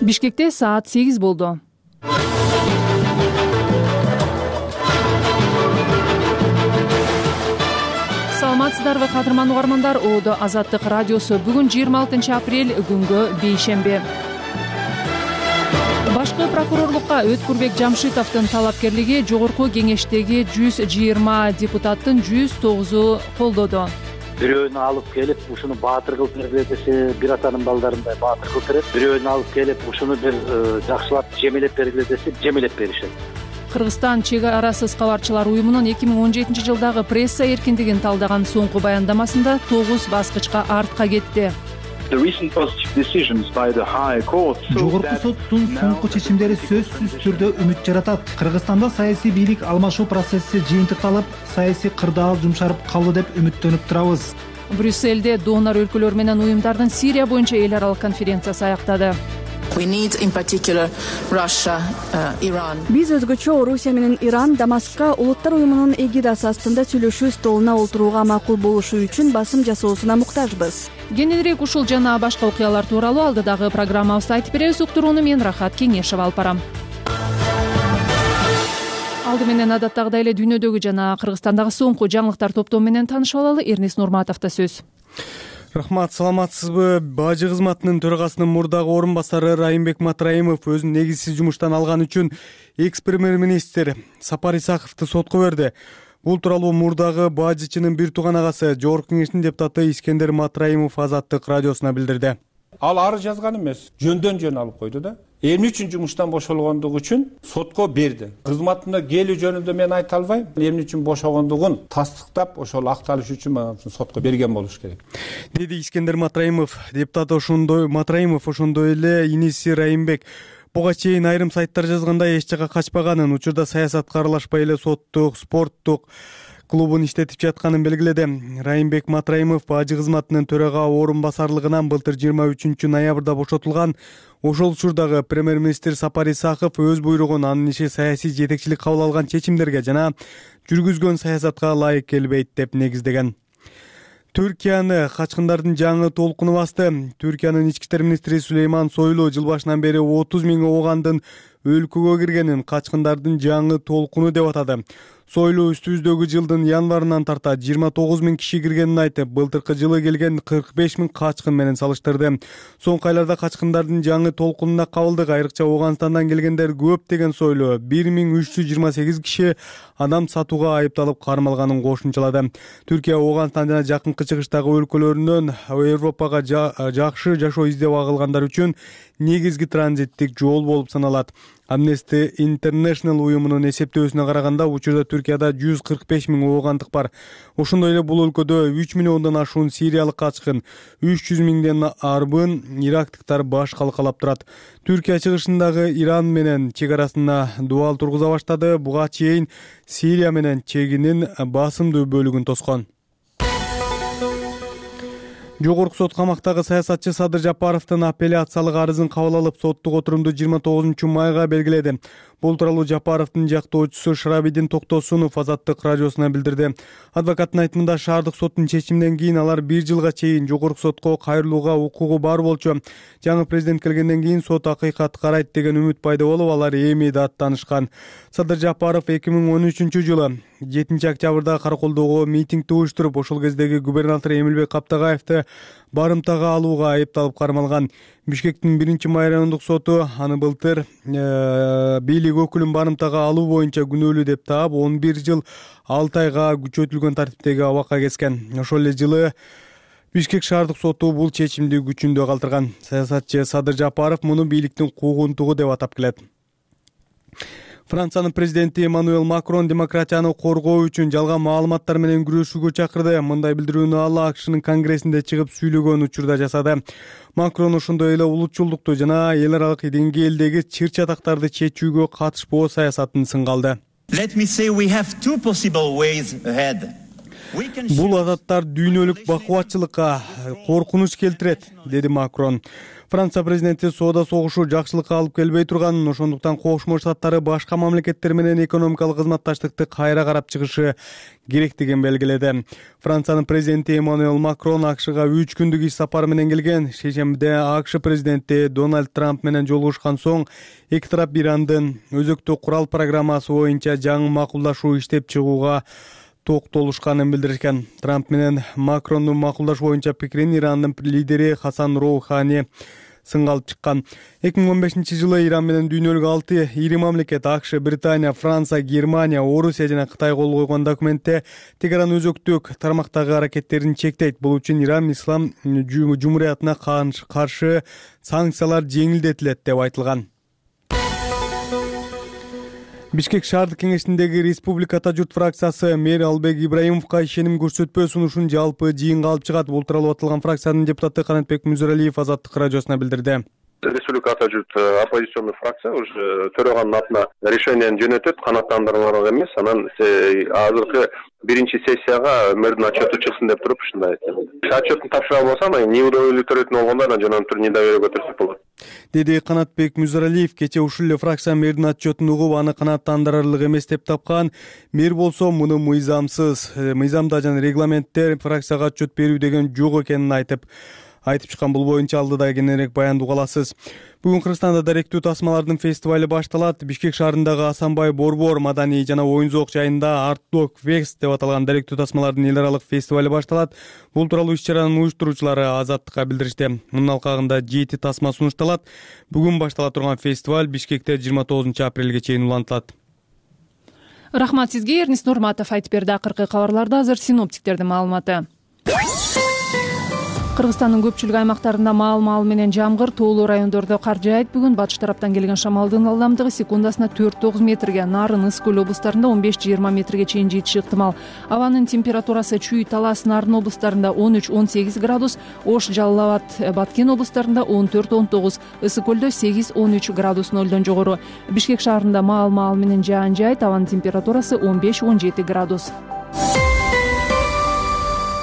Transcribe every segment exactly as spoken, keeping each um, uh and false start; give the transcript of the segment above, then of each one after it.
Бишкекте саат сегиз болду. Саламатсыздарбы кадырман угармандар, Оодо Азаттык радиосу. Бүгүн жыйырма алтынчы апрель, күнгө бейшемби. Башкы прокурорлукка Өткүрбек Жамшитовдун талапкерлиги жогорку кеңештеги жүз жыйырма депутаттын жүз тогузу колдоду. Бирөөнү алып келип, ушуну баатыр кылып бергиле десе, бир атанын балдарындай баатыр кылып берет. Бирөөнү алып келип, ушуну бир жакшылап жемелеп бергиле десе, жемелеп беришет. Кыргызстан чек арасыз кабарчылар уюмунун эки миң он жетинчи жылдагы пресса эркиндигин талдаган соңку баяндамасында тогуз баскычка артка кетти. Жогорку соттун соңку чечимдери сөзсүз түрдө үмүт жаратат. Кыргызстанда саясий бийлик алмашуу процесси жыйынтыкталып, саясий кырдаал жумшарып калды деп үмүттөнүп турабыз. Брюссельде донор өлкөлөр менен уюмдардын Сирия боюнча эл аралык конференциясы аяктады. Биз өзгөчө Орусия менен Иран Дамаскка улуттар уюмунун эгидасы астында сүйлөшүү столуна олтурууга макул болушу үчүн басым жасоосуна муктажбыз. Кененирээк ушул жана башка окуялар тууралуу алдыдагы программабызда айтып беребиз. Уктурууну мен Рахат Кеңешева алып барам. Алды менен адаттагыдай эле дүйнөдөгү жана Кыргызстандагы соңку жаңылыктар топтому менен таанышып алалы. Эрнис Нурматовдо сөз. Рахмат, саламатсызбы? Бажы кызматынын төрагасынын мурдагы орун басары Райымбек Матраимов өзүн негизсиз жумуштан алган үчүн экс-премьер-министр Сапар Исаковду сотко берди. Бул тууралуу мурдагы бажычынын бир тууган агасы, Жогорку кеңештин депутаты Искендер Матраимов Азаттык радиосуна билдирди. Ал арыз жазган эмес, жөндөн жөн алып койду да. Эмне үчүн жумуштан бошолгондугу үчүн сотко берди. Кызматына келүү жөнүндө мен айта албайм. Эмне үчүн бошогондугун тастыктап, ошол акталыш үчүн мага сотко берген болуш керек. Деди Искендер Матраимов. Депутат ошондой Матраимов ошондой эле иниси Райымбек буга чейин айрым сайттар жазгандай эч жакка качпаганын, учурда саясатка аралашпай эле соттук, спорттук клубун иштетип жатканын белгиледи. Райымбек Матраимов бажы кызматынын төрага орун басарлыгынан былтыр жыйырма үчүнчү ноябрда бошотулган. Ошол учурдагы премьер-министр Сапар Исаков өз буйругун анын иши саясий жетекчилик кабыл алган чечимдерге жана жүргүзгөн саясатка ылайык келбейт деп негиздеген. Түркияны качкындардын жаңы толкуну басты. Түркиянын ички иштер министри Сулейман Сойлу жыл башынан бери отуз миң оогандын өлкөгө киргенин качкындардын жаңы толкуну деп атады. Сойлу үстүбүздөгү жылдын январынан тарта жыйырма тогуз миң киши киргенин айтып, былтыркы жылы келген кырк беш миң качкын менен салыштырды. Соңку айларда качкындардын жаңы толкунуна кабылдык, айрыкча Ооганстандан келгендер көп деген Сойлу бир миң үч жүз жыйырма сегиз киши адам сатууга айыпталып кармалганын кошумчалады. Түркия Ооганстан жана жакынкы чыгыштагы өлкөлөрүнөн Европага жакшы жашоо издеп агылгандар үчүн негизги транзиттик жол болуп саналат. Amnesty International уюмунун эсептөөсүнө караганда, учурда Түркияда жүз кырк беш миң оогандык бар. Ошондой эле бул өлкөдө үч миллиондон ашуун сириялык качкын, үч жүз миңден арбын ирактыктар баш калкалап турат. Түркия чыгышындагы Иран менен чек арасына дубал тургуза баштады. Буга чейин Сирия менен чегинин басымдуу бөлүгүн тоскон. Жогорку сот камактагы саясатчы Садыр Жапаровдун апелляциялык арызын кабыл алып, соттук отурумду жыйырма тогузунчу майга белгиледи. Бул тууралуу Жапаровдун жактоочусу Шарабидин Токтосунов Азаттык радиосуна билдирди. Адвокаттын айтымында, шаардык соттун чечиминен кийин алар бир жылга чейин жогорку сотко кайрылууга укугу бар болчу. Жаңы президент келгенден кийин сот акыйкат карайт деген үмүт пайда болуп, алар эми да аттанышкан. Садыр Жапаров эки миң он үчүнчү жылы жетинчи октябрда Караколдогу митингди уюштуруп, ошол кездеги губернатор Эмилбек Каптагаевди барымтага алууга айыпталып кармалган. Бишкектин биринчи май райондук соту аны былтыр бийлик өкүлүн барымтага алуу боюнча күнөөлүү деп таап, он бир жыл алты айга күчөтүлгөн тартиптеги абакка kesкен. Ошол эле жылы Бишкек шаардык соту бул чечимди күчүндө калтырган. Саясатчы Садыр Жапаров муну бийликтин куугунтугу деп атап келет. Франциянын президенти Эммануэл Макрон демократияны коргоо үчүн жалган маалыматтар менен күрөшүүгө чакырды. Мындай билдирүүнү ал АКШнын конгрессинде чыгып сүйлөгөн учурда жасады. Макрон ошондой эле улутчулдукту жана эл аралык деңгээлдеги чыр-чатактарды чечүүгө катышпоо саясатын сынга алды. Let me say we have two possible ways ahead. Бул адаттар дүйнөлүк бакубатчылыкка коркунуч келтирет, деди Макрон. Франция президенти соода согушу жакшылыкка алып келбей турганын, ошондуктан Кошмо Штаттары башка мамлекеттер менен экономикалык кызматташтыкты кайра карап чыгышы керектигин белгиледи. Франциянын президенти Эммануэль Макрон АКШга үч күндүк иш сапары менен келген. Шейшембиде АКШ президенти Дональд Трамп менен жолугушкан соң эки тарап Ирандын өзөктүү курал программасы боюнча жаңы макулдашуу иштеп чыгууга токтолушканын билдиришкен. Трамп менен Макрондун макулдашуу боюнча пикирин Ирандын лидери Хасан Роухани сынга алып чыккан. эки миң он бешинчи жылы Иран менен дүйнөлүк алты ири мамлекет АКШ, Британия, Франция, Германия, Орусия жана Кытай кол койгон документте Тегеран өзөктүк тармактагы аракеттерин чектейт. Бул үчүн Иран Ислам Жумуриятына каршы санкциялар жеңилдетилет деп айтылган. Бишкек шаардык кеңешиндеги Республика журт фракциясы мэр Албек Ибраимовго ишеним көрсөтпөө сунушун жалпы жыйынга алып чыгат. Бул тууралуу аталган фракциянын депутаты Канатбек Мүзөралиев Азаттык радиосуна билдирди. Республика журт оппозиционный фракция уже төрөгөнүн атына решениени жөнөтөт, канааттандырмалык эмес. Анан азыркы биринчи сессияга мэрдин отчету чыксын деп туруп ушундай айттым. Отчетун тапшырган болсо, анан неудовлетворительный төрөтүн болгондо анан жана түрү недоверие көтөрсөк болот, деди Канатбек Мүзөралиев. Кечээ ушул эле фракция мэрдин отчетун угуп, аны канааттандырарлык эмес деп тапкан. Мэр болсо муну мыйзамсыз, мыйзамда жана регламентте фракцияга отчет берүү деген жок экенин айтып айтып чыккан. Бул боюнча алдыда кененирээк баянды уга аласыз. Бүгүн Кыргызстанда даректүү тасмалардын фестивали башталат. Бишкек шаарындагы Асанбай Борбор маданий жана оюн зоок жайында Art Dog Fest деп аталган даректүү тасмалардын эл аралык фестивали башталат. Бул тууралуу иш-чаранын уюштуруучулары Азаттыкка билдиришти. Мунун алкагында жети тасма сунушталат. Бүгүн баштала турган фестиваль Бишкекте жыйырма тогузунчу апрелге чейин улантылат. Рахмат сизге. Эрнис Нурматов айтып берди. Акыркы кабарларда азыр синоптиктердин маалыматы. Кыргызстандын көпчүлүк аймактарында маал-маал менен жамгыр, тоолуу райондордо кар жаайт. Бүгүн батыш тараптан келген шамалдын ылдамдыгы секундасына төрт тогуз метрге, Нарын, Ысык көл облустарында он беш жыйырма метрге чейин жетиши ыктымал. Абанын температурасы Чүй, Талас, Нарын облустарында он үч он сегиз градус, Ош, Жалал Абад, Баткен облустарында он төрт он тогуз, Ысык көлдө сегиз он үч градус нолдон жогору. Бишкек шаарында маал-маал менен жаан жаайт. Абанын температурасы он беш он жети градус.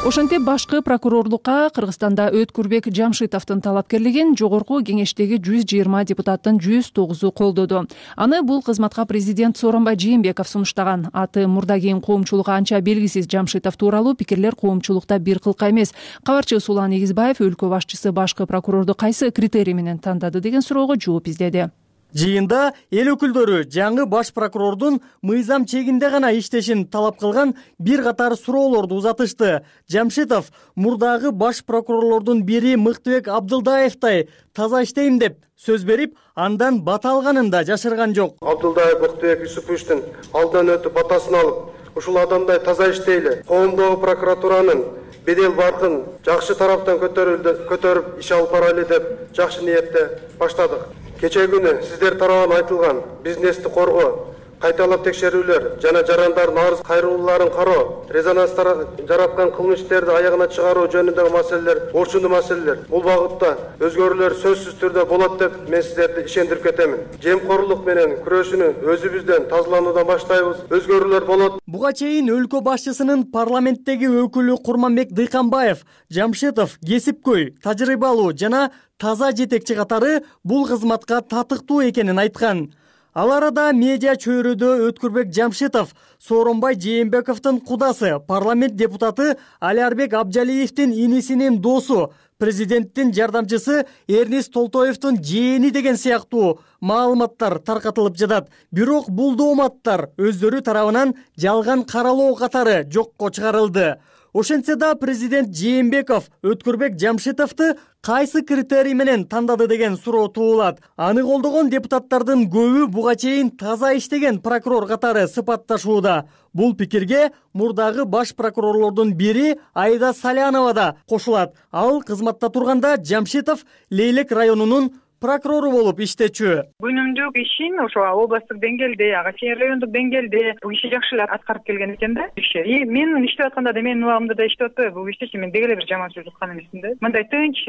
Ошентип башкы прокурорлукка Кыргызстанда Өткүрбек Жамшитовдун талапкерлигин жогорку кеңештеги жүз жыйырма депутаттын жүз тогузу колдоду. Аны бул кызматка президент Сооронбай Жээнбеков сунуштаган. Аты мурда кийин коомчулукка анча белгисиз Жамшитов тууралуу пикирлер коомчулукта бир кылка эмес. Кабарчы Сулан Эгизбаев өлкө башчысы башкы прокурорду кайсы критерий менен тандады деген суроого жооп издеди. Жыйында эл өкүлдөрү жаңы баш прокурордун мыйзам чегинде гана иштешин талап кылган бир катар суроолорду узатышты. Жамшитов мурдагы баш прокурорлордун бири Мыктыбек Абдылдаевтай таза иштейм деп сөз берип, андан бата алганын да жашырган жок. Абдылдаев Мыктыбек Юсуповичтин алдан өтүп батасын алып, ушул адамдай таза иштейли, коомдогу прокуратуранын бедел баркын жакшы тараптан көтөрүп иш алып барайлы деп жакшы ниетте баштадык. Кече күнү сиздер тарабынан айтылган бизнести коргоо, кайталап текшерүүлөр жана жарандардын арыз кайрылууларын кароо, резонанс жараткан кылмыш иштерди аягына чыгаруу жөнүндөгү маселелер, орчундуу маселелер. Бул багытта өзгөрүүлөр сөзсүз түрдө болот деп мен сиздерди ишендирип кетемин. Жемкорлук менен күрөшүүнү өзүбүздөн тазалануудан баштайбыз. Өзгөрүүлөр болот. Буга чейин өлкө башчысынын парламенттеги өкүлү Курманбек Дыйканбаев Жамшитов кесипкөй, тажрыйбалуу жана таза жетекчи катары бул кызматка татыктуу экенин айткан. Ал арада медиа чөйрөдө Өткүрбек Жамшитов Сооронбай Жээнбековдун кудасы, парламент депутаты Алиарбек Абжалиевдин инисинин досу, президенттин жардамчысы Эрнис Толтоевдун жээни деген сыяктуу маалыматтар таркатылып жатат. Бирок бул дооматтар өздөрү тарабынан жалган каралоо катары жокко чыгарылды. Ошентсе да президент Жээнбеков Өткүрбек Жамшитовду кайсы критерий менен тандады деген суроо туулат. Аны колдогон депутаттардын көбү буга чейин таза иштеген прокурор катары сыпатташууда. Бул пикирге мурдагы баш прокурорлордун бири Айда Салянова да кошулат. Ал кызматта турганда Жамшитов Лейлек районунун прокурору болуп иштечү. Күнүмдүк ишин ошо областтык деңгээлде, ага чейин райондук деңгээлде бул киши жакшы эле аткарып келген экен да иши. И мен иштеп атканда да менин убагымда да иштеп атпайбы бул иштечи, мен деги эле бир жаман сөз уткан эмесмин да. Мындай тынч,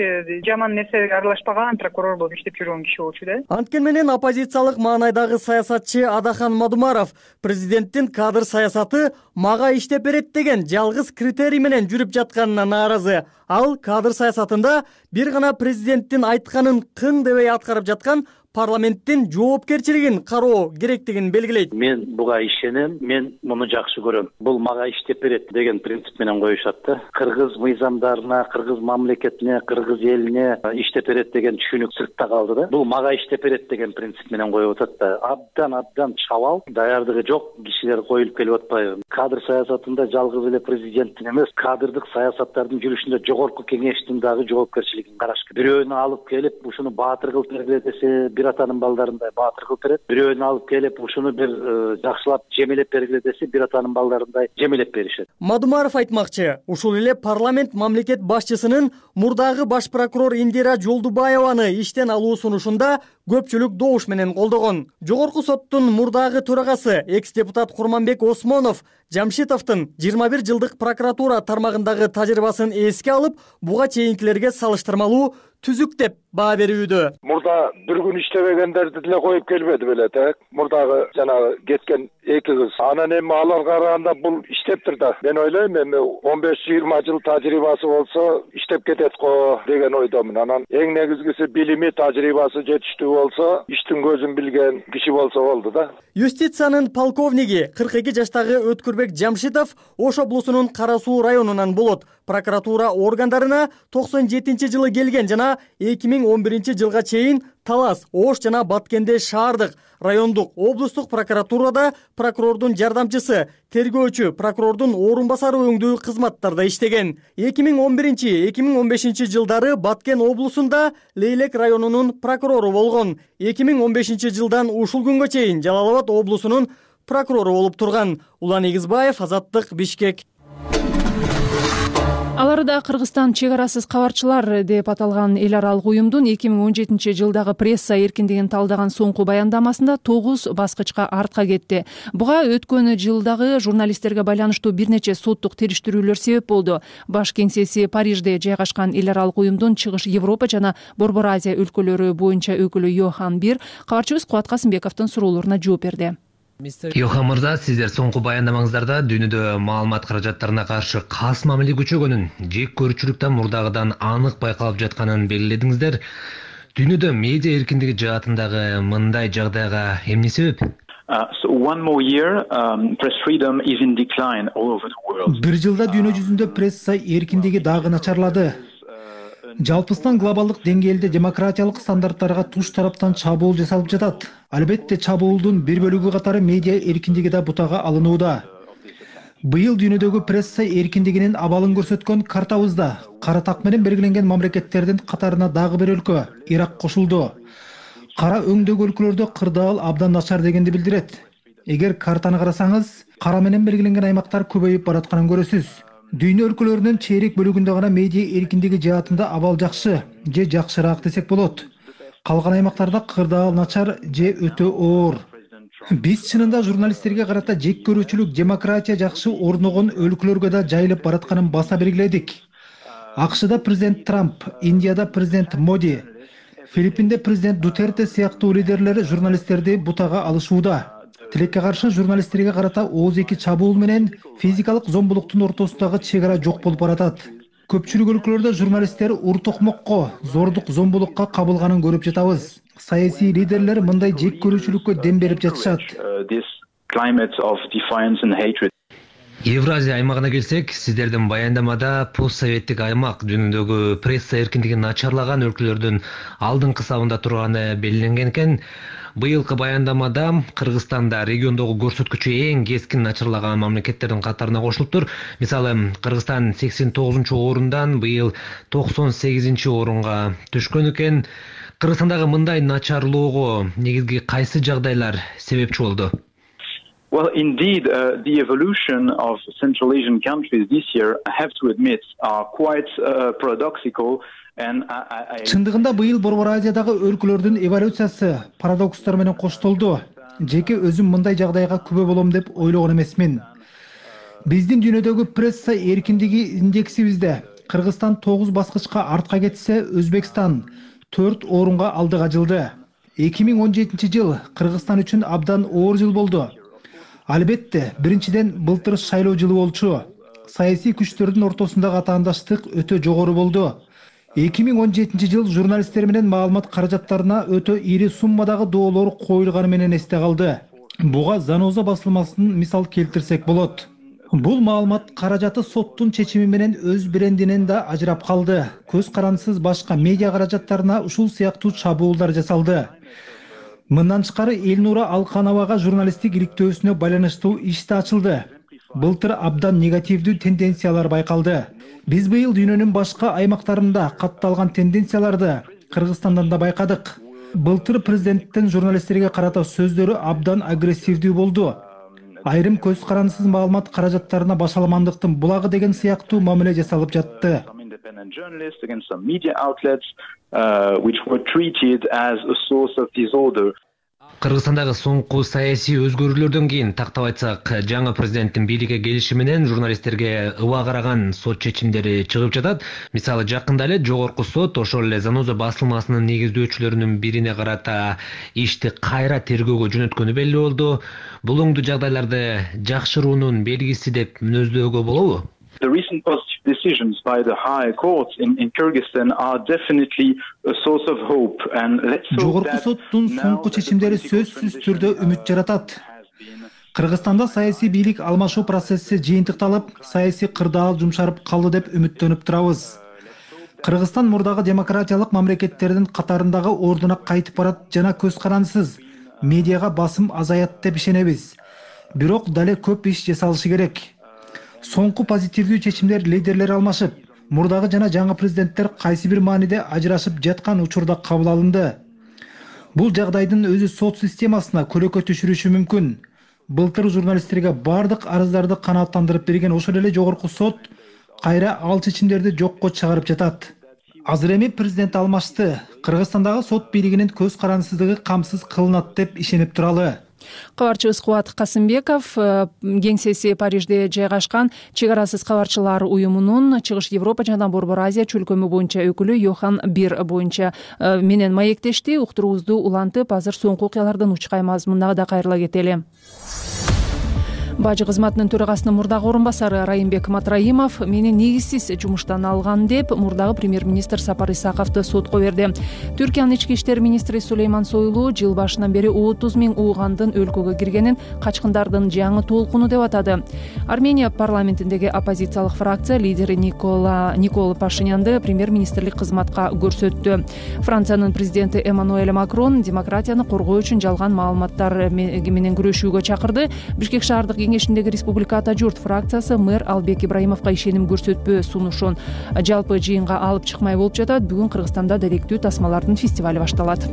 жаман нерсеге аралашпаган прокурор болуп иштеп жүргөн киши болчу да. Анткени менен оппозициялык маанайдагы саясатчы Адахан Мадумаров президенттин кадр саясаты мага иштеп берет деген жалгыз критерий менен жүрүп жатканына нааразы. Ал кадр саясатында бир гана президенттин айтканын кың дебей аткарып жаткан парламенттин жоопкерчилигин кароо керектигин белгилейт. Мен буга ишенем, мен муну жакшы көрөм. Бул мага иштеп берет деген принцип менен коюшат да. Кыргыз мыйзамдарына, кыргыз мамлекетине, кыргыз элине иштеп берет деген түшүнүк сыртта калды да. Бул мага иштеп берет деген принцип менен коюп атат да. Абдан абдан чабал, даярдыгы жок кишилер коюлуп келип атпайбы. Кадр саясатында жалгыз эле президенттин эмес, кадрдык саясаттардын жүрүшүндө жогорку кеңештин дагы жоопкерчилигин караш керек. Бирөөнү алып келип ушуну баатыр кылып бергиле десе, бир атанын балдарындай баатыр кылып берет. Бирөөнү алып келип ушуну бир жакшылап жемелеп бергиле десе, бир атанын балдарындай жемелеп беришет. Мадумаров айтмакчы, ушул эле парламент мамлекет башчысынын мурдагы баш прокурор Индира Жолдубаеваны иштен алуу сунушунда көпчүлүк добуш менен колдогон. Жогорку соттун мурдагы төрагасы экс-депутат Курманбек Осмонов Жамшитовдун жыйырма бир жылдык прокуратура тармагындагы тажрыйбасын эске алып, буга чейинкилерге салыштырмалуу түзүк деп баа берүүдө. Мурда бир күн иштебегендерди деле коюп келбеди беле да. Мурдагы жанагы кеткен эки кыз. Анан эми аларга караганда бул иштептир да. Мен ойлойм эми он беш жыйырма жыл тажрыйбасы болсо иштеп кетет го деген ойдомун. Анан эң негизгиси билими, тажрыйбасы жетиштүү болсо, иштин көзүн билген киши болсо болду да. Юстициянын полковниги кырк эки жаштагы Өткүрбек Жамшитов Ош облусунун Кара Суу районунан болот. Прокуратура органдарына токсон жетинчи жылы келген жана эки миң он биринчи жылга чейин Талас, Ош жана Баткенде шаардык, райондук, облустук прокуратурада прокурордун жардамчысы, тергөөчү, прокурордун орун басары өңдүү кызматтарда иштеген. эки миң он биринчи — эки миң он бешинчи жылдары Баткен облусунда Лейлек районунун прокурору болгон. эки миң он бешинчи жылдан ушул күнгө чейин Жалал Абад облусунун прокурору болуп турган. Улан Эгизбаев, Азаттык, Бишкек. Алары да Кыргызстан чек арасыз кабарчылар деп аталган эл аралык уюмдун эки миң он жетинчи жылдагы пресса эркиндигин талдаган соңку баяндамасында тогуз баскычка артка кетти. Буга өткөн жылдагы журналисттерге байланыштуу бир нече соттук териштирүүлөр себеп болду. Баш кеңсеси Парижде жайгашкан эл аралык уюмдун Чыгыш Европа жана Борбор Азия өлкөлөрү боюнча өкүлү Йохан Бир кабарчыбыз Кубат Касымбековдун суроолоруна жооп берди. Йохан мырза, сиздер соңку баяндамаңыздарда дүйнөдө маалымат каражаттарына каршы кас мамиле күчөгөнүн, жек көрүүчүлүктөн мурдагыдан анык байкалып жатканын белгиледиңиздер. Дүйнөдө медиа эркиндиги жаатындагы мындай жагдайга эмне себеп? Бир жылда дүйнө жүзүндө пресса эркиндиги дагы начарлады. Жалпыстан глобалдык деңгээлде демократиялык стандарттарга туш тараптан чабуул жасалып жатат. Албетте чабуулдун бир бөлүгү катары медиа эркиндиги да бутага алынууда. Быйыл дүйнөдөгү пресса эркиндигинин абалын көрсөткөн картабызда кара так менен белгиленген мамлекеттердин катарына дагы бир өлкө — Ирак кошулду. Кара өңдөгү өлкөлөрдө кырдаал абдан начар дегенди билдирет. Эгер картаны карасаңыз, кара менен белгиленген аймактар көбөйүп баратканын көрөсүз. Дүйнө өлкөлөрүнүн чейрек бөлүгүндө гана медиа эркиндиги жаатында абал жакшы же жакшыраак десек болот. Калган аймактарда кырдаал начар же өтө оор. Биз чынында журналисттерге карата жек көрүүчүлүк, демократия жакшы орногон өлкөлөргө да жайылып баратканын баса белгиледик. АКШда президент Трамп, Индияда президент Моди, Филиппинде президент Дутерте сыяктуу лидерлер журналисттерди бутага алышууда. Тилекке каршы журналисттерге карата ооз эки чабуул менен физикалык зомбулуктун ортосундагы чек ара жок болуп баратат. Көпчүлүк өлкөлөрдө журналисттер ур-токмокко, зордук, зомбулукка кабылганын көрүп жатабыз. Саясий лидерлер мындай жек көрүүчүлүккө дем берип жатышат. Евразия аймагына келсек, сиздердин баяндамада постсоветтик аймак дүйнөдөгү пресса эркиндигин начарлаган өлкөлөрдүн алдыңкы сабында турганы белгиленген экен. Быйылкы баяндамада Кыргызстанда региондогу көрсөткүчү эң кескин начарлаган мамлекеттердин катарына кошулуптур. Мисалы, Кыргызстан сексен тогузунчу орундан быйыл токсон сегизинчи орунга түшкөн экен. Кыргызстандагы мындай начарлоого негизги кайсы жагдайлар себепчи болду? Well, indeed, uh, the evolution of Central Asian countries this year, I have to admit, are quite uh, paradoxical Чындыгында быйыл Борбор Азиядагы өлкөлөрдүн эволюциясы парадокстор менен коштолду. Жеке өзүм мындай жагдайга күбө болом деп ойлогон эмесмин. Биздин дүйнөдөгү пресса эркиндиги индексибизде Кыргызстан тогуз баскычка артка кетсе, Өзбекстан төрт орунга алдыга жылды. эки миң он жетинчи жыл Кыргызстан үчүн абдан оор жыл болду. Албетте, биринчиден былтыр шайлоо жылы болчу. Саясий күчтөрдүн ортосундагы атаандаштык өтө жогору болду. эки миң он жетинчи жыл журналисттер менен маалымат каражаттарына өтө ири суммадагы доолор коюлганы менен эсте калды. Буга Заноза басылмасынын мисал келтирсек болот. Бул маалымат каражаты соттун чечими менен өз брендинен да ажырап калды. Көз карандысыз башка медиа каражаттарына ушул сыяктуу чабуулдар жасалды. Мындан тышкары Элнура Алкановага журналисттик иликтөөсүнө байланыштуу иш да ачылды. Былтыр абдан негативдүү тенденциялар байкалды. Биз быйыл дүйнөнүн башка аймактарында катталган тенденцияларды Кыргызстандан да байкадык. Былтыр президенттин журналисттерге карата сөздөрү абдан агрессивдүү болду. Айрым көз карандысыз маалымат каражаттарына башаламандыктын булагы деген сыяктуу мамиле жасалып жатты. Кыргызстандагы соңку саясий өзгөрүүлөрдөн кийин тактап айтсак, жаңы президенттин бийликке келиши менен журналисттерге ыба караган сот чечимдери чыгып жатат. Мисалы, жакында эле жогорку сот ошол эле Заноза басылмасынын негиздөөчүлөрүнүн бирине карата ишти кайра тергөөгө жөнөткөнү белгилүү болду. Бул оңдуу жагдайларды жакшыруунун белгиси деп мүнөздөөгө болобу? The recent positive decisions by the higher courts in, in Kyrgyzstan are definitely a source of hope, and let's hope Жогорку соттун соңку чечимдери сөзсүз түрдө үмүт жаратат. Кыргызстанда саясий бийлик алмашуу процесси жыйынтыкталып, саясий кырдаал жумшарып калды деп үмүттөнүп турабыз. Кыргызстан мурдагы демократиялык мамлекеттердин катарындагы ордуна кайтып барат жана көз карандысыз медиага басым азаят деп ишенебиз. Бирок дале көп иш жасалышы керек. Соңку позитивдүү чечимдер лидерлер алмашып, мурдагы жана жаңы президенттер кайсы бир мааниде ажырашып жаткан учурда кабыл алынды. Бул жагдайдын өзү сот системасына көлөкө түшүрүшү мүмкүн. Былтыр журналисттерге бардык арыздарды канааттандырып берген ошол эле жогорку сот кайра ал чечимдерди жокко чыгарып жатат. Азыр эми президент алмашты. Кыргызстандагы сот бийлигинин көз карандысыздыгы камсыз кылынат деп ишенип туралы. Кабарчыбыз Кубат Касымбеков кеңсеси Парижде жайгашкан Чек арасыз кабарчылар уюмунун Чыгыш Европа жана Борбор Азия чөлкөмү боюнча өкүлү Йохан Бир боюнча менен маектешти. Уктуруубузду улантып, азыр соңку окуялардан учкаймыз. Мындагы да кайрыла кетели. Бажы кызматынын төрагасынын мурдагы орун басары Райымбек Матраимов мени негизсиз жумуштан алган деп мурдагы премьер-министр Сапар Исаковду сотко берди. Түркиянын ички иштер министри Сулейман Сойлу жыл башынан бери отуз миң уугандын өлкөгө киргенин качкындардын жаңы толкуну деп атады. Армения парламентиндеги оппозициялык фракция лидери Никола Никола Пашинянды премьер-министрлик кызматка көрсөттү. Франциянын президенти Эммануэль Макрон демократияны коргоо үчүн жалган маалыматтар менен күрөшүүгө чакырды. Бишкек шаардык кеңешиндеги Республика Ата журт фракциясы мэр Албек Ибраимовго ишеним көрсөтпөө сунушун жалпы жыйынга алып чыкмай болуп жатат. Бүгүн Кыргызстанда даректүү тасмалардын фестивали башталат.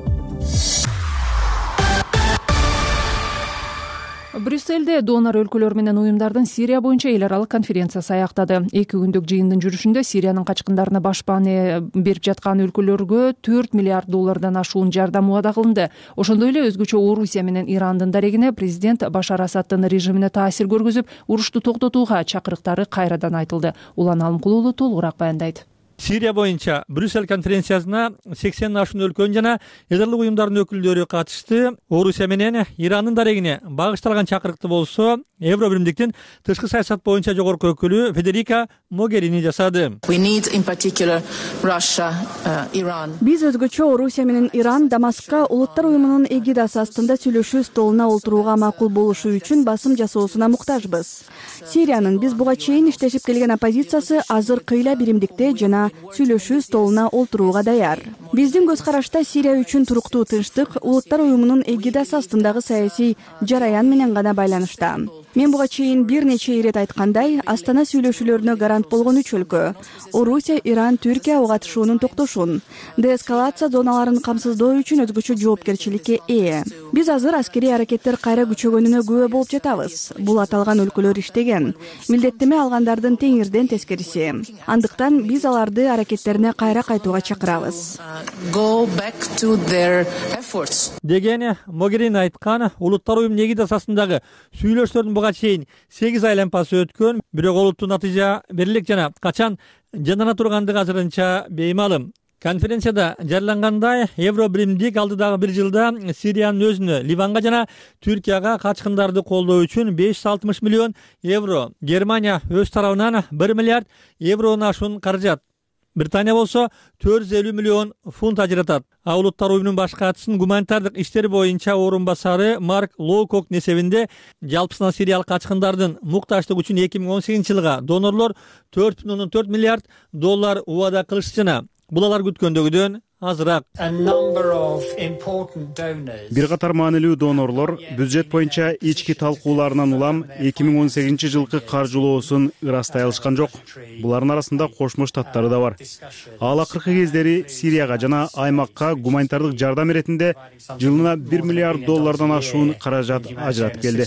Брюссельде донор өлкөлөр менен уюмдардын Сирия боюнча эл аралык конференциясы аяктады. Эки күндүк жыйындын жүрүшүндө Сириянын качкындарына башпааны берип жаткан өлкөлөргө төрт миллиард доллардан ашуун жардам убада кылынды. Ошондой эле өзгөчө Орусия менен Ирандын дарегине президент Башар Асаддын режимине таасир көргөзүп, урушту токтотууга чакырыктары кайрадан айтылды. Улан Алымкулуу уулу толугураак баяндайт. Сирия боюнча Брюссель конференциясына сексенден ашуун өлкөнүн жана эл аралык уюмдардын өкүлдөрү катышты. Орусия менен Ирандын дарегине багышталган чакырыкты болсо Евро биримдиктин тышкы саясат боюнча жогорку өкүлү Федерика Могерини жасады. Биз өзгөчө Орусия менен Иран Дамаскка улуттар уюмунун эгидасы астында сүйлөшүү столуна олтурууга макул болушу үчүн басым жасоосуна муктажбыз. Сириянын биз буга чейин иштешип келген оппозициясы азыр кыйла биримдикте жана сүйлөшүү столуна олтурууга даяр. Биздин көз карашта Сирия үчүн туруктуу тынчтык улуттар уюмунун эгидасы астындагы саясий жараян менен гана байланышта. Мен буга чейин бир нече ирет айткандай, Астана сүйлөшүүлөрүнө гарант болгон үч өлкө — Орусия, Иран, Түркия ага катышуунун токтошун, деэскалация зоналарын камсыздоо үчүн өзгөчө жоопкерчиликке ээ. Биз азыр аскерий аракеттер кайра күчөгөнүнө күбө болуп жатабыз. Бул аталган өлкөлөр иштеген, милдеттеме алгандардын теңирден тескериси. Андыктан биз аларды аларды аракеттерине кайра кайтууга чакырабыз деген Могерини айткан. Улуттар уюмунун эгиди асасындагы сүйлөшүүлөрдүн буга чейин сегиз айланпасы өткөн, бирок олуттуу натыйжа берилек жана качан жандана тургандыгы азырынча беймалым. Конференцияда жарыялангандай, Евробиримдик алдыдагы бир жылда Сириянын өзүнө, Ливанга жана Түркияга качкындарды колдоо үчүн беш жүз алтымыш миллион евро, Германия өз тарабынан бир миллиард еврону ашуун каражат, Британия болсо төрт жүз элүү миллион фунт ажыратат. А улуттар уюмунун баш катчысынын гуманитардык иштер боюнча орун басары Марк Лоукоктун эсебинде жалпысынан сириялык качкындардын муктаждыгы үчүн эки миң он сегизинчи жылга донорлор төрт бүтүн ондон төрт миллиард доллар убада кылышты жана бул алар күткөндөгүдөн азыраак. Бир катар маанилүү донорлор бюджет боюнча ички талкууларынан улам эки миң он сегизинчи жылкы каржылоосун ырастай алышкан жок. Булардын арасында Кошмо Штаттары да бар. Ал акыркы кездери Сирияга жана аймакка гуманитардык жардам иретинде жылына бир миллиард доллардан ашуун каражат ажыратып келди.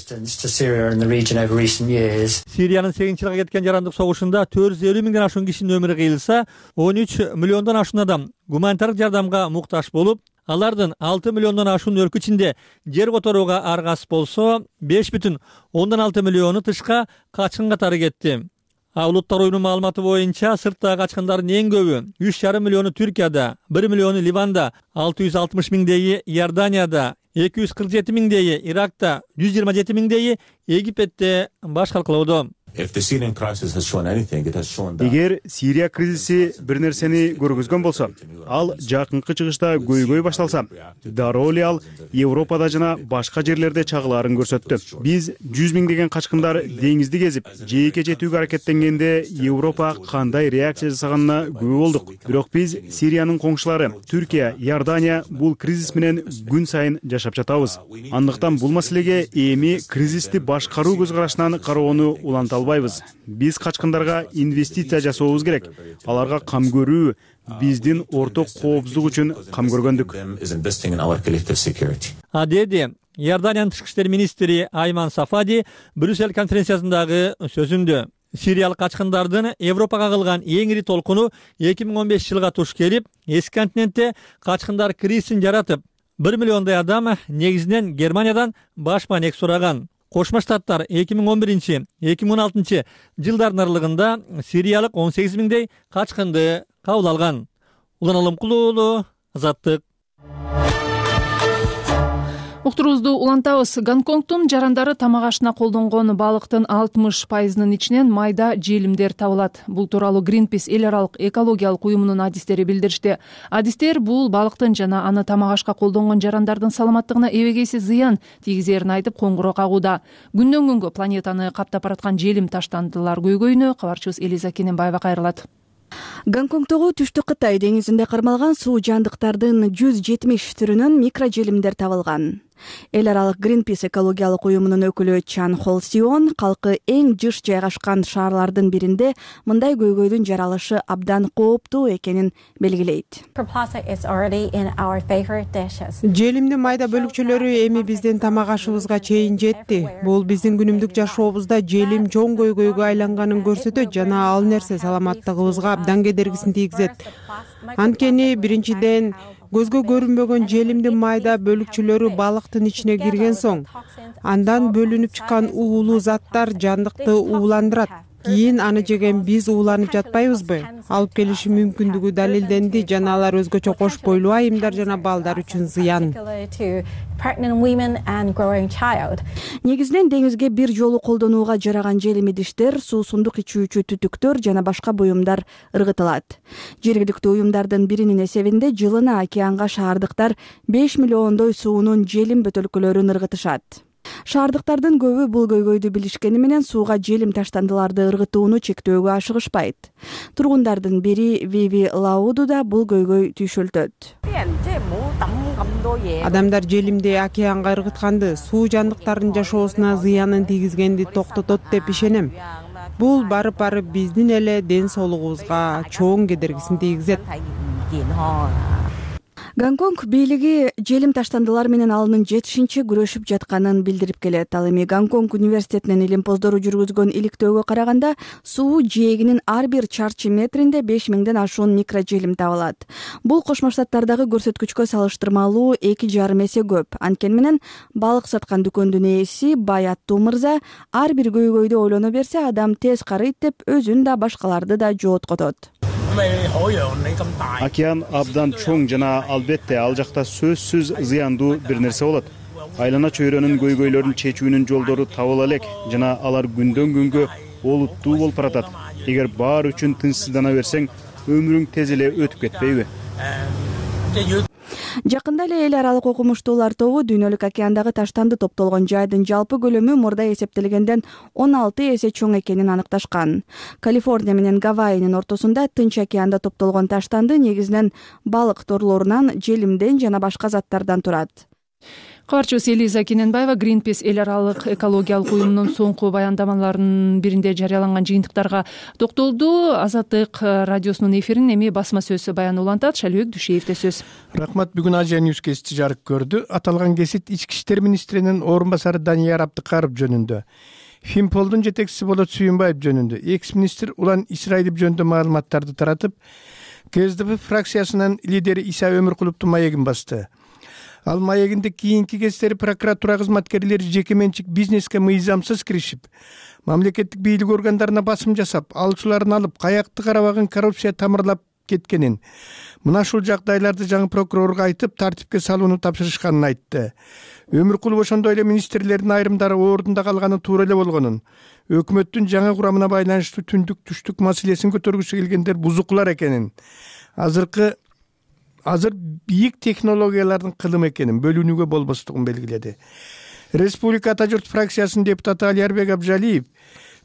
Сириянын сегизинчи жылга кеткен жарандык согушунда төрт жүз элүү миңден ашуун кишинин өмүрү кыйылса, он үч миллиондон ашуун адам гуманитардык жардамга муктаж болуп, алардын алты миллиондон ашуун өлкө ичинде жер которууга аргасыз болсо, беш бүтүн ондон алты миллиону тышка качкын катары кетти. А улуттар уюмунун маалыматы боюнча сырттагы качкындардын эң көбү үч жарым миллиону Түркияда, бир миллиону Ливанда, алты жүз алтымыш миңдейи Иорданияда, эки жүз кырк жети миңдейи Иракта, жүз жыйырма жети миңдейи Египетте баш калкалоодо. Эгер Сирия кризиси бир нерсени көргөзгөн болсо, ал жакынкы чыгышта көйгөй башталса, дароо эле ал Европада жана башка жерлерде чагылаарын көрсөттү. Биз жүз миңдеген качкындар деңизди кезип, жээкке жетүүгө аракеттенгенде Европа кандай реакция жасаганына күбө болдук. Бирок биз Сириянын коңшулары Түркия, Иордания бул кризис менен күн сайын жашап жатабыз. Андыктан бул маселеге эми кризисти башкаруу көз карашынан кароону уланта албайбыз. Биз качкындарга инвестиция жасообуз керек. Аларга кам көрүү биздин орток коопсуздук үчүн кам көргөндүк. А деди Иорданиянын тышкы иштер министри Айман Сафади Брюссель конференциясындагы сөзүндө. Сириялык качкындардын Европага кылган эң ири толкуну эки миң он бешинчи жылга туш келип, эски континентте качкындар кризисин жаратып, бир миллиондой адам негизинен Германиядан баш маанек сураган. Кошмо Штаттар эки миң он биринчи — эки миң он алтынчы жылдардын аралыгында сириялык он сегиз миңдей качкынды кабыл алган. Улан Алымкулуу уулу, Азаттык. Уктуруубузду улантабыз. Гонконгдун жарандары тамак ашына колдонгон балыктын алтымыш пайызынын ичинен майда желимдер табылат. Бул тууралуу Greenpeace эл аралык экологиялык уюмунун адистери билдиришти. Адистер бул балыктын жана аны тамак ашка колдонгон жарандардын саламаттыгына эбегейсиз зыян тийгизерин айтып коңгуроо кагууда. Күндөн күнгө планетаны каптап бараткан желим таштандылар көйгөйүнө кабарчыбыз Элиза Кененбаева кайрылат. Гонконгдогу Түштүк Кытай деңизинде кармалган суу жандыктардын жүз жетимиш түрүнөн микрожелимдер табылган. Эл аралык Greenpeace экологиялык уюмунун өкүлү Чан Холсион калкы эң жыш жайгашкан шаарлардын биринде мындай көйгөйдүн жаралышы абдан кооптуу экенин белгилейт. Желимдин майда бөлүкчөлөрү эми биздин тамак ашыбызга чейин жетти. Бул биздин күнүмдүк жашообузда желим чоң көйгөйгө айланганын көрсөтөт жана ал нерсе саламаттыгыбызга абдан кедергисин тийгизет. Анткени биринчиден көзгө көрүнбөгөн желимдин майда бөлүкчөлөрү балыктын ичине кирген соң, андан бөлүнүп чыккан уулуу заттар жандыкты ууландырат. Кийин аны жеген биз ууланып жатпайбызбы? Алып келиши мүмкүндүгү далилденди жана алар өзгөчө кош бойлуу айымдар жана балдар үчүн зыян. Негизинен деңизге бир жолу колдонууга жараган желим идиштер, суусундук ичүүчү түтүктөр жана башка буюмдар ыргытылат. Жергиликтүү уюмдардын биринин эсебинде жылына океанга шаардыктар беш миллиондой суунун желим бөтөлкөлөрүн ыргытышат. Шаардыктардын көбү бул көйгөйдү билишкени менен сууга желим таштандыларды ыргытууну чектөөгө ашыгышпайт. Тургундардын бири Виви Лауду да бул көйгөй түйшөлтөт. Адамдар желимди океанга ыргытканды, суу жандыктардын жашоосуна зыянын тийгизгенди токтотот деп ишенем. Бул барып-барып биздин эле ден соолугубузга чоң кедергисин тийгизет. Гонконг бийлиги желим таштандылар менен алынын жетишинче күрөшүп жатканын билдирип келет. Ал эми Гонконг университетинин илимпоздору жүргүзгөн иликтөөгө караганда суу жээгинин ар бир чарчы метринде беш миңден ашуун микрожелим табылат. Бул Кошмо Штаттардагы көрсөткүчкө салыштырмалуу эки жарым эсе көп. Анткени менен балык саткан дүкөндүн ээси Бай аттуу мырза ар бир көйгөйдү ойлоно берсе адам тез карыйт деп өзүн да башкаларды да жооткотот. Океан абдан чоң жана албетте ал жакта сөзсүз зыяндуу бир нерсе болот. Айлана чөйрөнүн көйгөйлөрүн чечүүнүн жолдору табыла элек жана алар күндөн күнгө олуттуу болуп баратат. Эгер баары үчүн тынчсыздана берсең, өмүрүң тез эле өтүп кетпейби? Жакында эле эл аралык окумуштуулар тобу дүйнөлүк океандагы таштанды топтолгон жайдын жалпы көлөмү мурда эсептелгенден он алты эсе чоң экенин аныкташкан. Калифорния менен Гавайинин ортосунда Тынч океанда топтолгон таштанды негизинен балык торлорунан, желимден жана башка заттардан турат. Кабарчыбыз Элиза Кененбаева Greenpeace эл аралык экологиялык уюмунун соңку баяндамаларынын биринде жарыяланган жыйынтыктарга токтолду. Азаттык радиосунун эфирин эми басма сөз баян улантат. Шалбек Дүйшеевде сөз. Рахмат. Бүгүн Азия News кести жарык көрдү. Аталган кесит ички иштер министринин орун басары Данияр Абдыкаров жөнүндө. Финполдун жетекчиси Болот Сүйүнбаев жөнүндө. Экс-министр Улан Исраилов жөнүндө маалыматтарды таратып, КСДП фракциясынын лидери Иса Өмүркуловдун маегин басты. Ал маегинде кийинки кездери прокуратура кызматкерлери жеке менчик бизнеске мыйзамсыз киришип, мамлекеттик бийлик органдарына басым жасап, алчуларын алып, каякты карабаган коррупция тамырлап кеткенин, мына ушул жагдайларды жаңы прокурорго айтып, тартипке салууну тапшырышканын айтты. Өмүркулов ошондой эле министрлердин айрымдары ордунда калганы туура эле болгонун, өкмөттүн жаңы курамына байланыштуу түндүк түштүк маселесин көтөргүсү келгендер бузукулар экенин, азыркы азыр бийик технологиялардын кылымы экенин, бөлүнүүгө болбостугун белгиледи. Республика Ата журт фракциясынын депутаты Алиярбек Абжалиев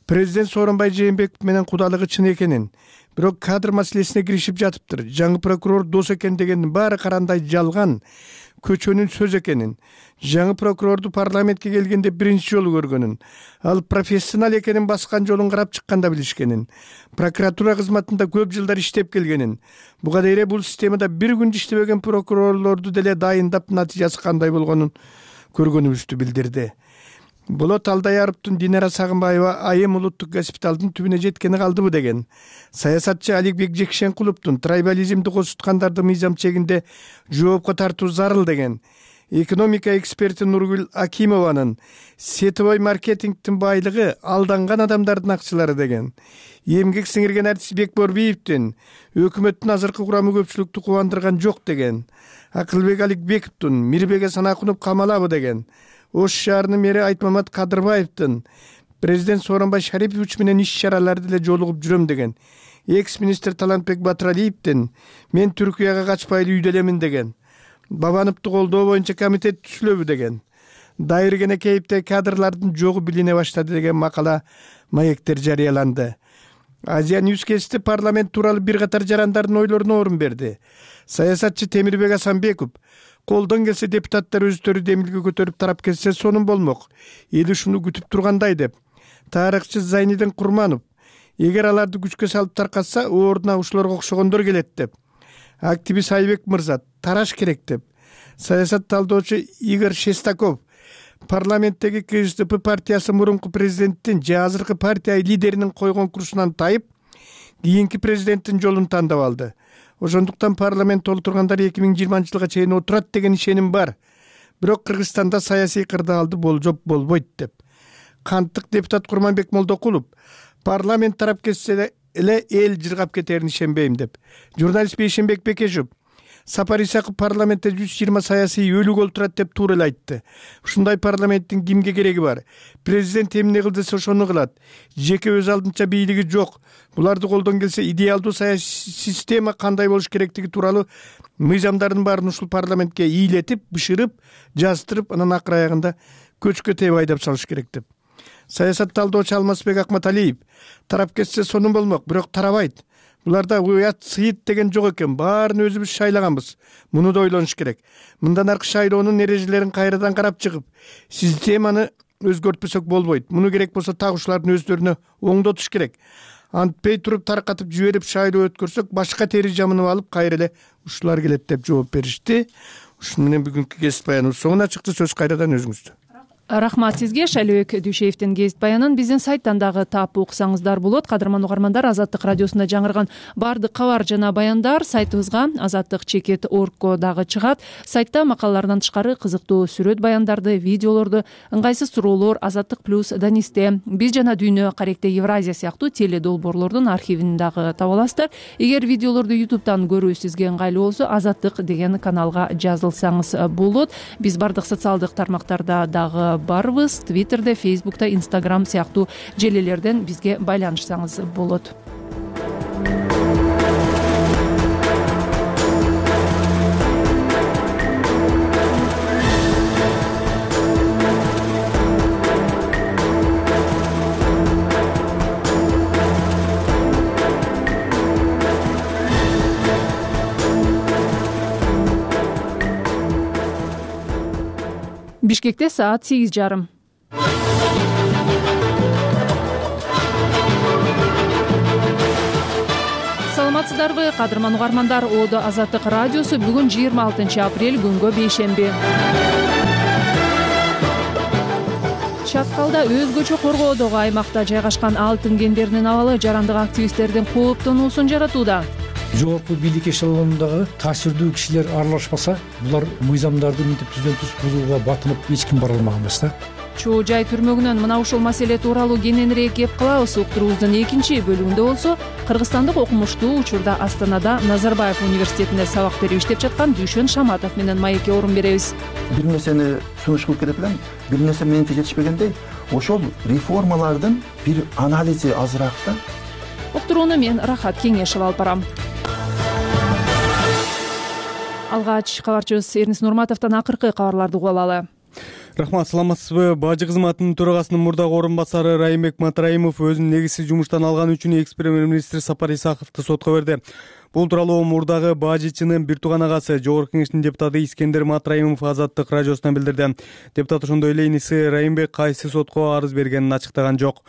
президент Сооронбай Жээнбеков менен кудалыгы чын экенин, бирок кадр маселесине киришип жатыптыр. Жаңы прокурор дос экен дегендин баары карандай жалган, көчөнүн сөз экенин, жаңы прокурорду парламентке келгенде биринчи жолу көргөнүн, ал профессионал экенин баскан жолун карап чыкканда билишкенин, прокуратура кызматында көп жылдар иштеп келгенин, буга дейре бул системада бир күндө иштебеген прокурорлорду деле дайындап натыйжасы кандай болгонун көргөнүбүздү билдирди. Болот Алдаяровдун Динара Сагынбаева айым улуттук госпиталдын түбүнө жеткени калдыбы деген. Саясатчы Аликбек Жекшенкуловдун трайбализмди козуткандарды мыйзам чегинде жоопко тартуу зарыл деген. Экономика эксперти Нургүл Акимованын сетевой маркетингдин байлыгы алданган адамдардын акчалары деген. Эмгек сиңирген артист Бекборбиевдин өкмөттүн азыркы курамы көпчүлүктү кубандырган жок деген. Акылбек Аликбековдун Мирбеге Санакунов камалабы деген. Ош шаарынын мэри Айтмамат Кадырбаевдин президент Сооронбай Шарипович менен иш чараларды деле жолугуп жүрөм деген. Экс-министр Талантбек Батыралиевдин мен Түркияга качпайлы үйдө элемин деген. Бабановду колдоо боюнча комитет түзүлөбү деген. Дайыр Кенекеевде кадрлардын жогу билине баштады деген макала маектер жарыяланды. Азия News кести парламент тууралуу бир катар жарандардын ойлоруна орун берди. Саясатчы Темирбек Асанбеков колдон келсе депутаттар өздөрү демилге көтөрүп тарап кетсе сонун болмок. Эл ушуну күтүп тургандай деп. Тарыхчы Зайнидин Курманов эгер аларды күчкө салып таркатса, ордуна ушуларга окшогондор келет деп. Активист Айбек мырза тараш керек деп. Саясат талдоочу Игорь Шестаков парламенттеги КСДП партиясы мурунку президенттин же азыркы партия лидеринин койгон курсунан тайып, кийинки президенттин жолун тандап алды. Ошондуктан парламент олтургандар эки миң жыйырманчы жылга чейин отурат деген ишеним бар. Бирок Кыргызстанда саясий кырдаалды болжоп болбойт деп. Канттык депутат Курманбек Молдокулов парламент тарап кетсе эле эл жыргап кетерин ишенбейм деп. Журналист Бейшенбек Бекешев Сапар Исаков парламентте жүз жыйырма саясий өлүк олтурат деп туура эле айтты. Ушундай парламенттин кимге кереги бар? Президент эмне кыл десе ошону кылат. Жеке өз алдынча бийлиги жок. Буларды колдон келсе идеалдуу саясий система кандай болуш керектиги тууралуу мыйзамдардын баарын ушул парламентке ийилетип, бышырып, жаздырып, анан акыр аягында көчкө тееп айдап салыш керек деп. Саясат талдоочу Алмазбек Акматалиев тарап кетсе сонун болмок, бирок тарабайт. Буларда уят сыйыт деген жок экен. Баарын өзүбүз шайлаганбыз. Муну да ойлонуш керек. Мындан аркы шайлоонун эрежелерин кайрадан карап чыгып, системаны өзгөртпөсөк болбойт. Муну керек болсо так ушулардын өздөрүнө оңдотуш керек. антпей туруп таркатып жиберип шайлоо өткөрсөк башка тери жамынып алып кайра эле ушулар келет деп жооп беришти. Ушуну менен бүгүнкү кесип баяныбыз соңуна чыкты. Сөз кайрадан өзүңүздө. Рахмат сизге. Шайлообек Дүйшеевдин кесип баянын биздин сайттан дагы таап уксаңыздар болот. Кадырман угармандар, Азаттык радиосунда жаңырган баардык кабар жана баяндар сайтыбызга азаттык чекит точка оргко дагы чыгат. Сайтта макалалардан тышкары кызыктуу сүрөт баяндарды, видеолорду, ыңгайсыз суроолор Азаттык плюс Данисте, биз жана Дүйнө, Каректе Евразия сыяктуу теле долбоорлордун архивин дагы таба аласыздар. Эгер видеолорду ютубтан көрүү сизге ыңгайлуу болсо, Азаттык деген каналга жазылсаңыз болот. Биз баардык социалдык тармактарда дагы барбыз. Твиттерде, Фейсбукта, Инстаграм сыяктуу желелерден бизге байланышсаңыз болот. Бишкекте саат сегиз жарым. Саламатсыздарбы, кадырман угармандар? Одо Азаттык радиосу бүгүн жыйырма алтынчы апрель күнгө бейшемби. Чаткалда өзгөчө коргоодогу аймакта жайгашкан алтын кендеринин абалы жарандык активисттердин кооптонуусун жаратууда. Жогорку бийлик эшелонундагы таасирдүү кишилер аралашпаса, булар мыйзамдарды мынтип түздөн түз бузууга батынып эч ким бара алмаган эмес да. Чоо жай түрмөгүнөн мына ушул маселе тууралуу кененирээк кеп калабыз. Уктуруубуздун экинчи бөлүгүндө болсо, кыргызстандык окумуштуу учурда Астанада Назарбаев университетинде сабак берип иштеп жаткан Дүйшөн Шаматов менен маекке орун беребиз. Бир нерсени сунуш кылып кетип элем, бир нерсе менимче жетишпегендей, ошол реформалардын бир анализи азыраак да. Уктурууну мен Рахат Кеңешев алып барам. Алгач кабарчыбыз Эрнис Нурматовдон акыркы кабарларды угуп алалы. Рахмат, саламатсызбы? Бажы кызматынын төрагасынын мурдагы орун басары Райымбек Матраимов өзүн негизсиз жумуштан алганы үчүн экс премьер-министр Сапар Исаковду сотко берди. Бул тууралуу мурдагы бажычынын бир тууган агасы, Жогорку Кеңештин депутаты Искендер Матраимов Азаттык радиосуна билдирди. Депутат ошондой эле иниси Райымбек кайсы сотко арыз бергенин ачыктаган жок.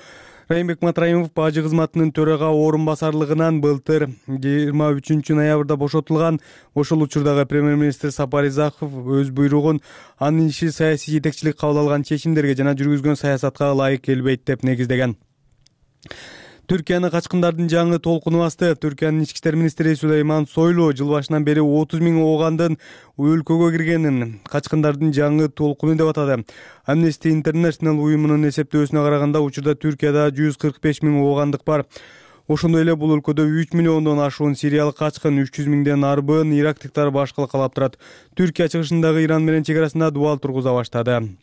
Райымбек Матраимов бажы кызматынын төрага орун басарлыгынан былтыр жыйырма үчүнчү ноябрда бошотулган. Ошол учурдагы премьер-министр Сапар Исаков өз буйругун анын иши саясий жетекчилик кабыл алган чечимдерге жана жүргүзгөн саясатка ылайык келбейт деп негиздеген. Түркияны качкындардын жаңы толкуну басты. Түркиянын ички иштер министри Сулейман Сойлу жыл башынан бери отуз миң оогандын өлкөгө киргенин качкындардын жаңы толкуну деп атады. Amnesty International уюмунун эсептөөсүнө караганда, учурда Түркияда жүз кырк беш миң оогандык бар. Ошондой эле бул өлкөдө үч миллиондон ашуун сириялык качкын, үч жүз миңден арбын ирактыктар башкала калап турат. Түркия чыгышындагы Иран менен чегарасында дубал тургуза баштады.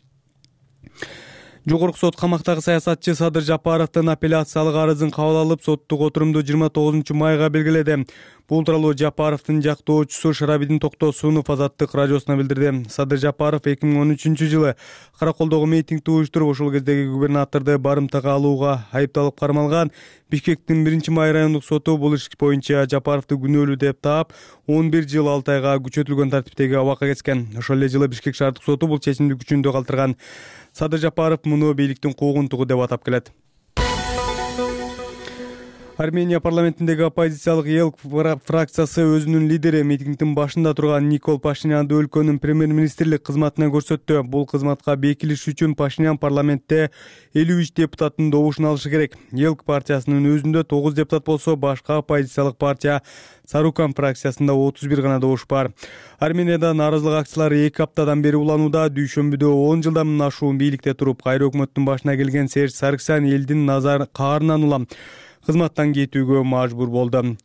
Жогорку сот камактагы саясатчы Садыр Жапаровдун апелляциялык арызын кабыл алып, соттук отурумду жыйырма тогузунчу майга белгиледи. Бул тууралуу Жапаровдун жактоочусу Шарабидин Токтосунов Азаттык радиосуна билдирди. Садыр Жапаров эки миң он үчүнчү жылы Караколдогу митингди уюштуруп, ошол кездеги губернаторду барымтага алууга айыпталып кармалган. Бишкектин биринчи май райондук соту бул иш боюнча Жапаровду күнөөлүү деп таап, он бир жыл алты айга күчөтүлгөн тартиптеги абакка кеткен. Ошол эле жылы Бишкек шаардык соту бул чечимди күчүндө калтырган. Садыр Жапаров муну бийликтин куугунтугу деп атап келет. Армения парламентиндеги оппозициялык эл фракциясы өзүнүн лидери, митингдин башында турган Никол Пашинянды өлкөнүн премьер-министрлик кызматына көрсөттү. Бул кызматка бекилиш үчүн Пашинян парламентте элүү үч депутаттын добушун алышы керек. эл партиясынын өзүндө тогуз депутат болсо, башка оппозициялык партия Сарукан фракциясында отуз бир гана добуш бар. Арменияда нааразылык акциялары эки аптадан бери уланууда. Дүйшөмбүдө он жылдан ашуун бийликте туруп, кайра өкмөттүн башына келген Серж Сарксян элдин назар каарынан улам кызматтан кетүүгө мажбур болду.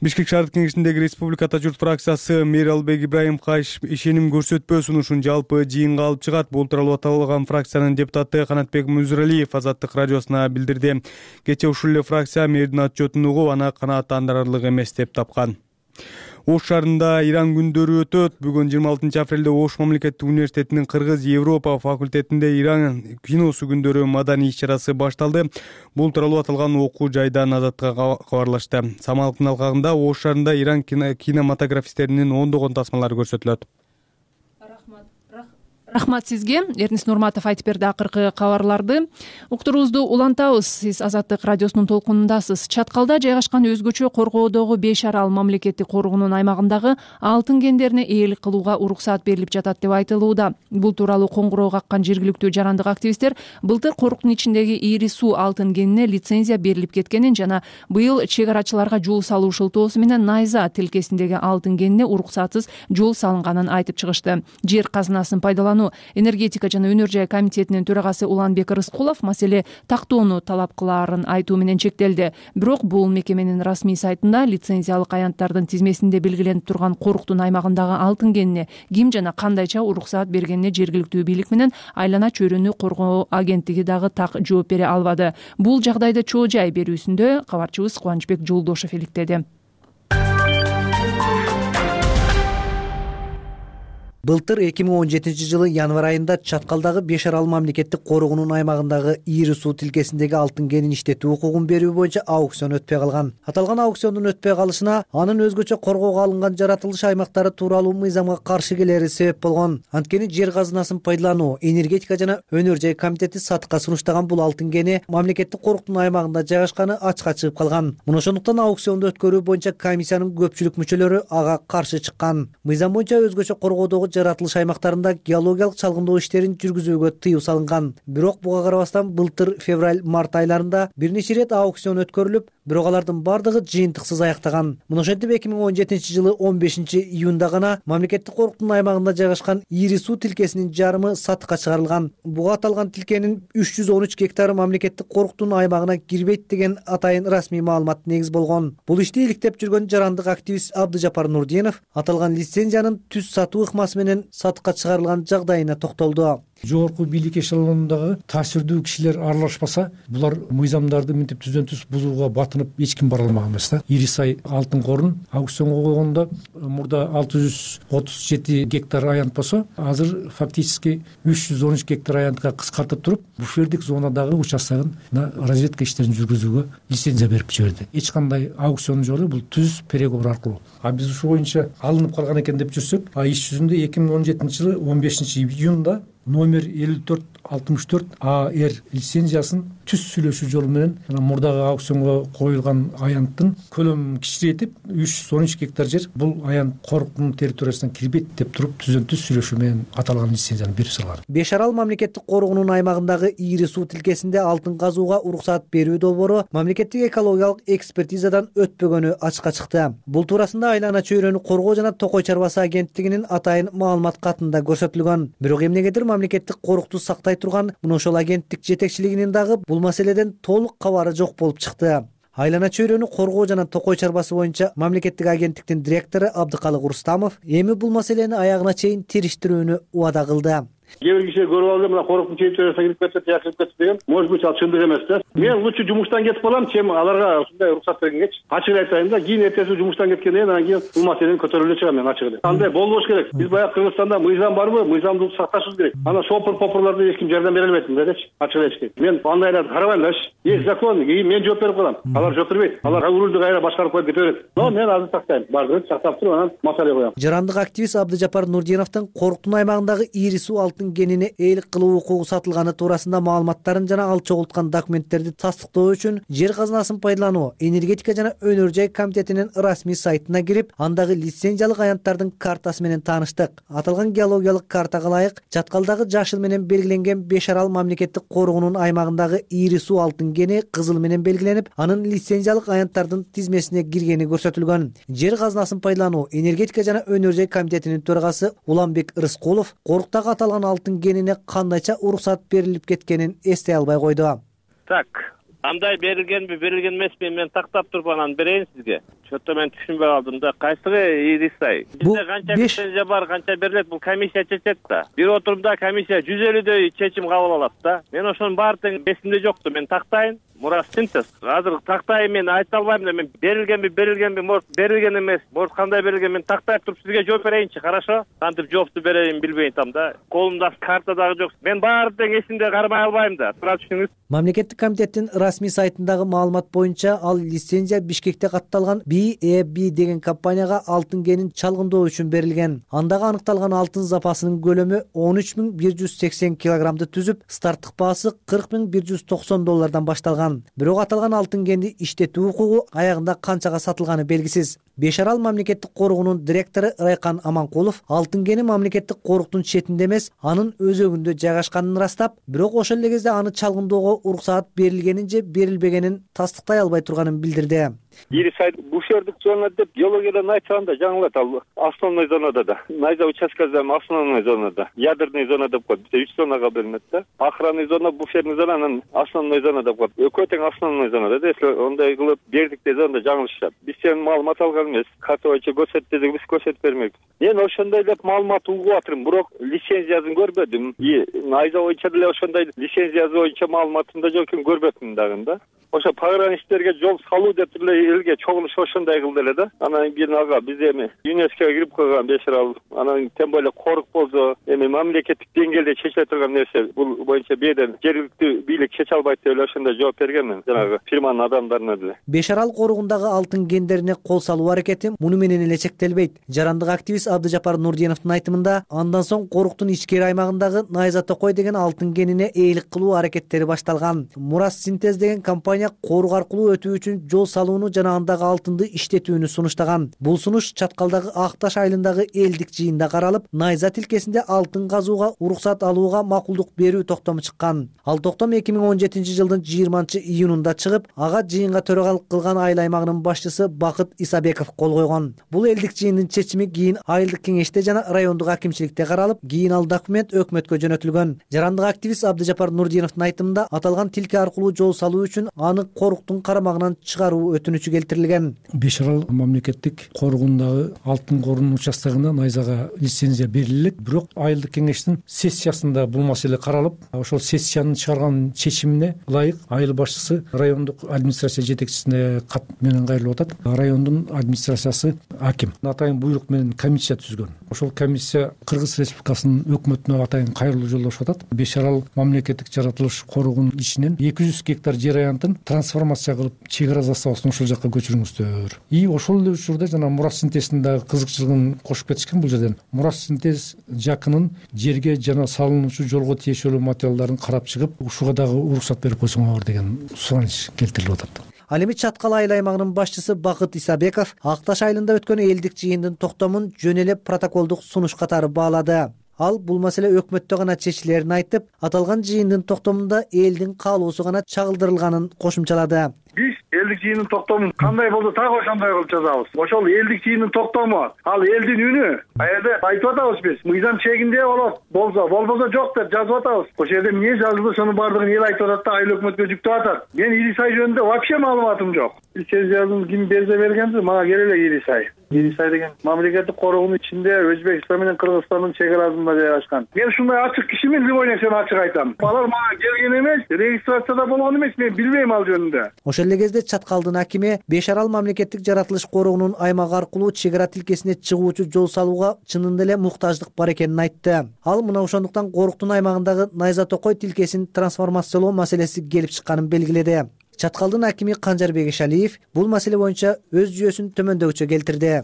Бишкек шаардык кеңешиндеги Республиката журт фракциясы Миралбек Ибраимовго ишеним көрсөтпөө сунушун жалпы жыйынга алып чыгат. Бул тууралуу аталган фракциянын депутаты Канатбек Музуралиев Азаттык радиосуна билдирди. Кечээ ушул эле фракция мэрдин отчетун угуп, аны канааттандырарлык эмес деп тапкан. Ош шаарында Иран күндөрү өтөт. Бүгүн жыйырма алтынчы апрелде Ош мамлекеттик университетинин Кыргыз Европа факультетинде Иран киносу күндөрү маданий иш-чарасы башталды. Бул тууралуу аталган окуу жайдан Азатка кабарлашты. Самалдын алкагында Ош шаарында Иран кинематографисттеринин ондогон тасмалары көрсөтүлөт. рахмат сизге. Эрнис Нурматов айтып берди акыркы кабарларды. Уктуруубузду улантабыз. Сиз Азаттык радиосунун толкунундасыз. Чаткалда жайгашкан өзгөчө коргоодогу беш арал мамлекеттик коргоонун аймагындагы алтын кендерине ээлик кылууга уруксаат берилип жатат деп айтылууда. Бул тууралуу коңгуроо каккан жергиликтүү жарандык активисттер былтыр коруктун ичиндеги ири суу алтын кенине лицензия берилип кеткенин жана быйыл чек арачыларга жол салуу шылтоосу менен Найза тилкесиндеги алтын кенине уруксатсыз жол салынганын айтып чыгышты. Жер казынасын пайдалануу энергетика жана өнөр жай комитетинин төрагасы Уланбек Рыскулов маселе тактоону талап кылаарын айтуу менен чектелди. Бирок бул мекеменин расмий сайтында лицензиялык аянттардын тизмесинде белгиленип турган коруктун аймагындагы алтын кенине ким жана кандайча уруксаат бергенине жергиликтүү бийлик менен айлана чөйрөнү коргоо агенттиги дагы так жооп бере албады. Бул жагдайды чоо жай берүүсүндө кабарчыбыз Кубанычбек Жолдошов иликтеди. Былтыр эки миң он жетинчи жылы январь айында Чаткалдагы беш арал мамлекеттик коргоонун аймагындагы ири суу тилкесиндеги алтын кенин иштетүү укугун берүү боюнча аукцион өтпөй калган. Аталган аукциондун өтпөй калышына анын өзгөчө коргоого алынган жаратылыш аймактары тууралуу мыйзамга каршы келери себеп болгон. Анткени жер казынасын пайдалануу энергетика жана өнөр жай комитети сатыкка сунуштаган бул алтын кени мамлекеттик коруктун аймагында жайгашканы ачыкка чыгып калган. Мына ошондуктан аукционду өткөрүү боюнча комиссиянын көпчүлүк мүчөлөрү ага каршы чыккан. Мыйзам боюнча өзгөчө коргоодогу жаратылыш аймактарында геологиялык чалгындоо иштерин жүргүзүүгө тыюу салынган. Бирок буга карабастан былтыр февраль-март айларында бир нече ирет аукцион өткөрүлүп, бирок алардын бардыгы жыйынтыксыз аяктаган. Мына ошентип эки миң он жетинчи жылы он бешинчи июнда гана мамлекеттик коруктун аймагында жайгашкан ири суу тилкесинин жарымы сатыкка чыгарылган. Буга аталган тилкенин үч жүз он үч гектары мамлекеттик коруктун аймагына кирбейт деген атайын расмий маалымат негиз болгон. Бул ишти иликтеп жүргөн жарандык активист Абдыжапар Нурдинов аталган лицензиянын түз сатуу ыкмасы менен сатыкка чыгарылган жагдайына токтолду. Жогорку бийлик эшелонундагы таасирдүү кишилер аралашпаса, булар мыйзамдарды мынтип түздөн түз бузууга батынып эч ким бара алмаган эмес да. Ири сай алтын корун аукционго койгондо мурда алты жүз отуз жети гектар аянт болсо, азыр фактически үч жүз он үч гектар аянтка кыскартып туруп, буфердик зонадагы участкын разведка иштерин жүргүзүүгө лицензия берип жиберди. Эч кандай аукцион жок эле, бул түз переговор аркылуу. А биз ушул боюнча алынып калган экен деп жүрсөк, а иш жүзүндө эки миң он жетинчи жылы он бешинчи июнда номер элүү төрт алтымыш төрт А Р лицензиясын түз сүйлөшүү жолу менен мурдагы аукционго коюлган аянттын көлөмүн кичирейтип үч жүз он үч гектар жер бул аянт коруктун территориясына кирбейт деп туруп түздөн түз сүйлөшүү менен аталган лицензияны берип салган. Беш арал мамлекеттик коргоонун аймагындагы ири суу тилкесинде алтын казууга уруксаат берүү долбоору мамлекеттик экологиялык экспертизадан өтпөгөнү ачыкка чыкты. Бул туурасында айлана чөйрөнү коргоо жана токой чарбасы агенттигинин атайын маалымат катында көрсөтүлгөн. Бирок эмнегедир мамлекеттик корукту сактай турган мына ошол агенттик жетекчилигинин дагы бул маселеден толук кабары жок болуп чыкты. Айлана чөйрөнү коргоо жана токой чарбасы боюнча мамлекеттик агенттиктин директору Абдыкалык Рустамов эми бул маселени аягына чейин териштирүүнү убада кылды. Кээ бир киши көрүп алды, мына коруктун территориясына кирип кетти, жакырып кетти деген. Может быть, ал чындык эмес да. Мен лучше жумуштан кетип калам, чем аларга ушундай уруксат бергенгечи. Ачык айтайын да, кийин эртеси жумуштан кеткенден анан кийин бул маселени көтөрүп эле чыгам мен ачык эле. Андай болбош керек. Биз баягы Кыргызстанда мыйзам барбы? Мыйзамды сакташыбыз керек. Анан шопур попурларда эч ким жардам бере албайт мындайдачы. Ачык эле айтышкек. Мен андайларды карабайм дачы. Есть закон, кийин мен жооп берип калам. Алар жооп бербейт. Алар рулду кайра башкарып коюп кете берет. Но мен азыр сактайм. Бардыгын сактап туруп анан маселе коям. Жарандык активист Абдыжапар Нурдиновдун коруктун аймагындагы ири суу алтын кенине ээлик кылуу укугу сатылганы туурасында маалыматтарын жана ал чогулткан документтерди тастыктоо үчүн жер казынасын пайдалануу энергетика жана өнөр жай комитетинин расмий сайтына кирип, андагы лицензиялык аянттардын картасы менен тааныштык. Аталган геологиялык картага ылайык Чаткалдагы жашыл менен белгиленген беш арал мамлекеттик коргоонун аймагындагы ири суу алтын кени кызыл менен белгиленип, анын лицензиялык аянттардын тизмесине киргени көрсөтүлгөн. Жер казынасын пайдалануу энергетика жана өнөр жай комитетинин төрагасы Уланбек Рыскулов коруктагы аталган алтын кенине кандайча уруксаат берилип кеткенин эстей албай койду. Так, андай берилгенби, берилген эмеспи, мен тактап туруп анан берейин сизге. Чөтө мен түшүнбөй калдым да. Кайсыгы ирисай? Бизде канча лицензия бар, канча берилет, бул комиссия чечет да. Бир отурумда комиссия жүз элүүдөй чечим кабыл алат да. Мен ошонун баардыгы эсимде жокту. Мен тактайын. Мурас синтез. Азыр тактайын, мен айта албайм да. Мен берилгенби, берилгенби, может берилген эмес, может кандай берилген, мен тактап туруп сизге жооп берейинчи, хорошо? Кантип жоопту берейин билбейм там да. Колумда карта дагы жок. Мен баардыгы эсимде кармай албайм да. Тура түшүңүз. Мамлекеттик комитеттин расмий сайтындагы маалымат боюнча ал лицензия Бишкекте катталган би э би деген компанияга алтын кенин чалгындоо үчүн берилген. Андагы аныкталган алтын запасынын көлөмү он үч миң бир жүз сексен килограммды түзүп, старттык баасы кырк миң бир жүз токсон доллардан башталган. Бирок аталган алтын кенди иштетүү укугу аягында канчага сатылганы белгисиз. Беш Арал мамлекеттик коругунун директору Райкан Аманкулов алтын кени мамлекеттик коруктун четинде эмес, анын өзөгүндө жайгашканын ырастап, бирок ошол эле кезде аны чалгындоого уруксаат берилгенин же берилбегенин тастыктай албай турганын билдирди. Ирисай буфердик зона деп геологиядан айтсам да жаңылат, ал основной зонада да. Найза участкасында основной зонада, ядерный зона деп коет. Бизде үч зонага бөлүнөт да. Охранный зона, буферный зона, анан основной зона деп коет. Экөө тең основной зонада. Если ондай кылып бердик десе, онда жаңылышат. Биз сен маалымат алган эмес. Карта боюнча көрсөт десек, биз көрсөтүп бермекпиз. Мен ошондой деп маалымат угуп атырмын, бирок лицензиясын көрбөдүм. И найза боюнча деле ошондой лицензиясы боюнча маалыматым да жок экен, көрбөпмүн дагы да. Ошо пограничтерге жол салуу деп эле элге чогулуш ошондой кылды эле да. Анан кийин ага биз эми ЮНЕСКОга кирип койгон Беш Арал, анан тем более корук болсо эми мамлекеттик деңгээлде чечиле турган нерсе, бул боюнча беден жергиликтүү бийлик чече албайт деп эле ошондой жооп бергенмин жанагы фирманын адамдарына деле. Беш Арал коругундагы алтын кендерине кол салуу аракети муну менен эле чектелбейт. Жарандык активист Абдыжапар Нурдиновдун айтымында, андан соң коруктун ичкери аймагындагы Найза Токой деген алтын кенине ээлик кылуу аракеттери башталган. Мурас Синтез деген компания корук аркылуу өтүү үчүн жол салууну жана андагы алтынды иштетүүнү сунуштаган. Бул сунуш Чаткалдагы Акташ айылындагы элдик жыйында каралып, Найза тилкесинде алтын казууга уруксат алууга макулдук берүү токтому чыккан. Ал токтом эки миң он жетинчи жылдын жыйырманчы июнунда чыгып, ага жыйынга төрагалык кылган айыл аймагынын башчысы Бакыт Исабеков кол койгон. Бул элдик жыйындын чечими кийин айылдык кеңеште жана райондук акимчиликте каралып, кийин ал документ өкмөткө жөнөтүлгөн. Жарандык активист Абдыжапар Нурдиновдун айтымында, аталган тилке аркылуу жол салуу үчүн аны коруктун карамагынан чыгаруу өтүнүчү келтирилген. Беш Арал мамлекеттик коругундагы алтын корунун участогуна Найзага лицензия берилет, бирок айылдык кеңештин сессиясында бул маселе каралып, ошол сессиянын чыгарган чечимине ылайык айыл башчысы райондук администрация жетекчисине кат менен кайрылып атат. Райондун администрациясы аким атайын буйрук менен комиссия түзгөн. Ошол комиссия Кыргыз Республикасынын өкмөтүнө атайын кайрылуу жолдошуп атат. Беш Арал мамлекеттик жаратылыш коругунун ичинен эки жүз гектар жер аянтын трансформация кылып чек ара заставасын ошол жакка көчүрүңүздөр. И ошол эле учурда жана Мурас Синтездин дагы кызыкчылыгын кошуп кетишкен бул жерден. Мурас Синтез жакынын жерге жана салынуучу жолго тиешелүү материалдарын карап чыгып, ушуга дагы уруксат берип койсоңор деген сураныч келтирилип атат. Ал эми Чаткал айыл аймагынын башчысы Бакыт Исабеков Акташ айылында өткөн элдик жыйындын токтомун жөн эле протоколдук сунуш катары баалады. Ал бул маселе өкмөттө гана чечилерин айтып, аталган жыйындын токтомунда элдин каалоосу гана чагылдырылганын кошумчалады. Биз элдик жыйындын токтомун кандай болсо так ошондой кылып жазабыз. Ошол элдик жыйындын токтому, ал элдин үнү. А жерде айтып атабыз биз, мыйзам чегинде болот, болсо, болбосо жок деп жазып атабыз. Ошол жерде эмне жазылды, ошонун баардыгын эл айтып атат да, айыл өкмөткө жүктөп атат. Мен Ирисай жөнүндө вообще маалыматым жок. Лицензиясын ким берсе бергенди, мага керек эле Ирисай. Ирисай деген мамлекеттик коругунун ичинде Өзбекстан менен Кыргызстандын чек арасында жайгашкан. Мен ушундай ачык кишимин, любой нерсени ачык айтам. Алар мага келген эмес, регистрацияда болгон эмес, мен билбейм ал жөнүндө. Ошол эле кезде Чаткалдын акими Беш Арал мамлекеттик жаратылыш коругунун аймак аркылуу чек ара тилкесине чыгуучу жол салууга чынында эле муктаждык бар экенин айтты. Ал мына ошондуктан коруктун аймагындагы Найза Токой тилкесин трансформациялоо маселеси келип чыкканын белгиледи. Чаткалдын акими Канжарбек Ишалиев бул маселе боюнча өз жүйөсүн төмөндөгүчө келтирди.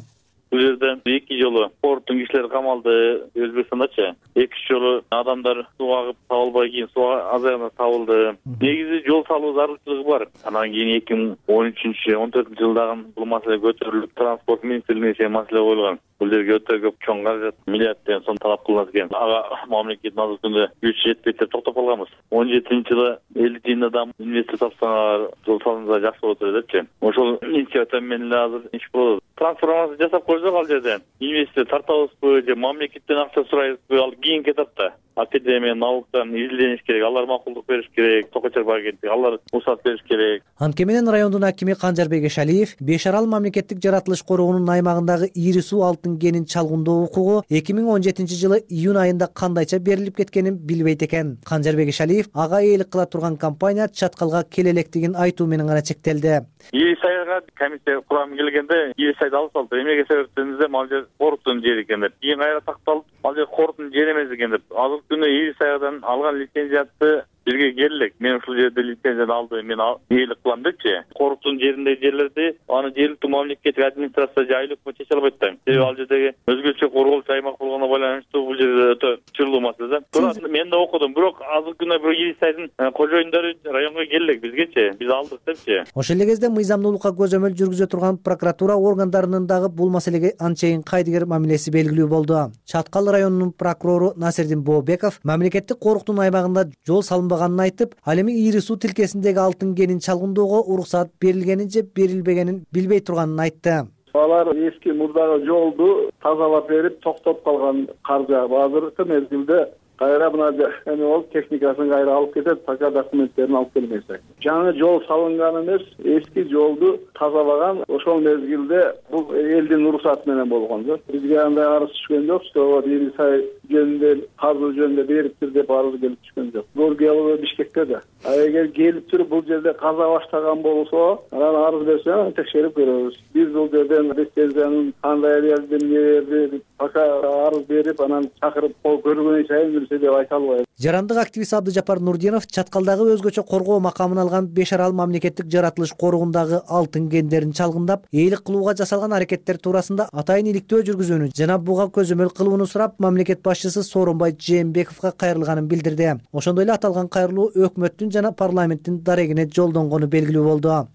Бул жерде эки жолу коруктун кишилери камалды Өзбекстандачы. Эки жолу адамдар суу агып табылбай, кийин суу азайганда табылды. Негизи жол салуу зарылчылыгы бар. Анан кийин эки миң он үчүнчү он төртүнчү жылдагы бул маселе көтөрүлүп, транспорт министрлигине чейин маселе коюлган. Бул жерге өтө көп чоң каражат, миллиардден сом талап кылынат экен. Ага мамлекеттин азыркы күч жетпейт деп токтоп калганбыз. он жетинчи жылы элдик жыйында да инвестор тапсаңар жол салынса жакшы болот депчи. Ошол инициатива менен эле азыр иш болот. Трансформация жасап койсок ал жерде инвестор тартабызбы же мамлекеттен акча сурайбызбы, ал кийинки этапта. Академия, налогтан изилдениш керек, алар макулдук бериш керек, Токочор агенттиги, алар уруксат бериш керек. Анткени менен райондун акими Канжарбек Ишалиев Беш Арал мамлекеттик жаратылыш коругунун аймагындагы ири суу алтын кенин чалгындоо укугу эки миң он жетинчи жылы июнь айында кандайча берилип кеткенин билбейт экен. Канжарбек Ишалиев ага ээлик кыла турган компания Чаткалга келе электигин айтуу менен гана чектелди. Ирисайга комиссия курамы келгенде Ирисайды алып салды. Эмнеге себептенде ал жер коруктун жери экен деп. Кийин кайра такталып, ал жер коруктун жери эмес экен деп. Азыр күнү Ирисайдан алган лицензияты бизге келелек, мен ушул жерде лицензияны алды, мен ээлик кылам депчи. Коруктун жериндеги жерлерди аны жергиликтүү мамлекеттик администрация же айлык чече албайт да. Себеби ал жердеги өзгөчө корголчу аймак болгону байланыштуу бул жерде өтө чырлуу маселе да. Туурат мен да окудум, бирок азыркы күндө бирок Ирисайдын кожоюндары районго келелек бизгечи, биз алдык депчи. Ошол эле кезде мыйзамдуулукка көзөмөл жүргүзө турган прокуратура органдарынын дагы бул маселеге анчейин кайдыгер мамилеси белгилүү болду. Чаткал районунун прокурору Насирдин Бообеков мамлекеттик коруктун аймагында жол салынбаганын айтып, ал эми Ири суу тилкесиндеги алтын кенин чалгындоого уруксат берилгенин же берилбегенин билбей турганын айтты. Алар эски мурдагы жолду тазалап берип токтоп калган каржы азыркы мезгилде кайра мына эме болуп техникасын кайра алып кетет, пока документтерин алып келмесе. Жаңы жол салынган эмес, эски жолду тазалаган ошол мезгилде бул элдин уруксаты менен болгон да. Бизге андай арыз түшкөн жок, что Ирисай жөнүндө казуу жөнүндө бериптир деп арыз келип түшкөн жок. Бул келип Бишкекте да. А эгер келип туруп бул жерде каза баштаган болсо, анан арыз берсе текшерип көрөбүз. Биз бул жерден лицензиянын кандай берди, эмне берди, пока арыз берип анан чакырып көргөн сайын деп айта албайм. Жарандык активист Абдыжапар Нурдинов Чаткалдагы өзгөчө коргоо макамын алган Беш Арал мамлекеттик жаратылыш коругундагы алтын кендерин чалгындап, ээлик кылууга жасалган аракеттер туурасында атайын иликтөө жүргүзүүнү жана буга көзөмөл кылууну сурап, мамлекет башчысы Сооронбай Жээнбековго кайрылганын билдирди. Ошондой эле аталган кайрылуу өкмөттүн жана парламенттин дарегине жолдонгону белгилүү болду.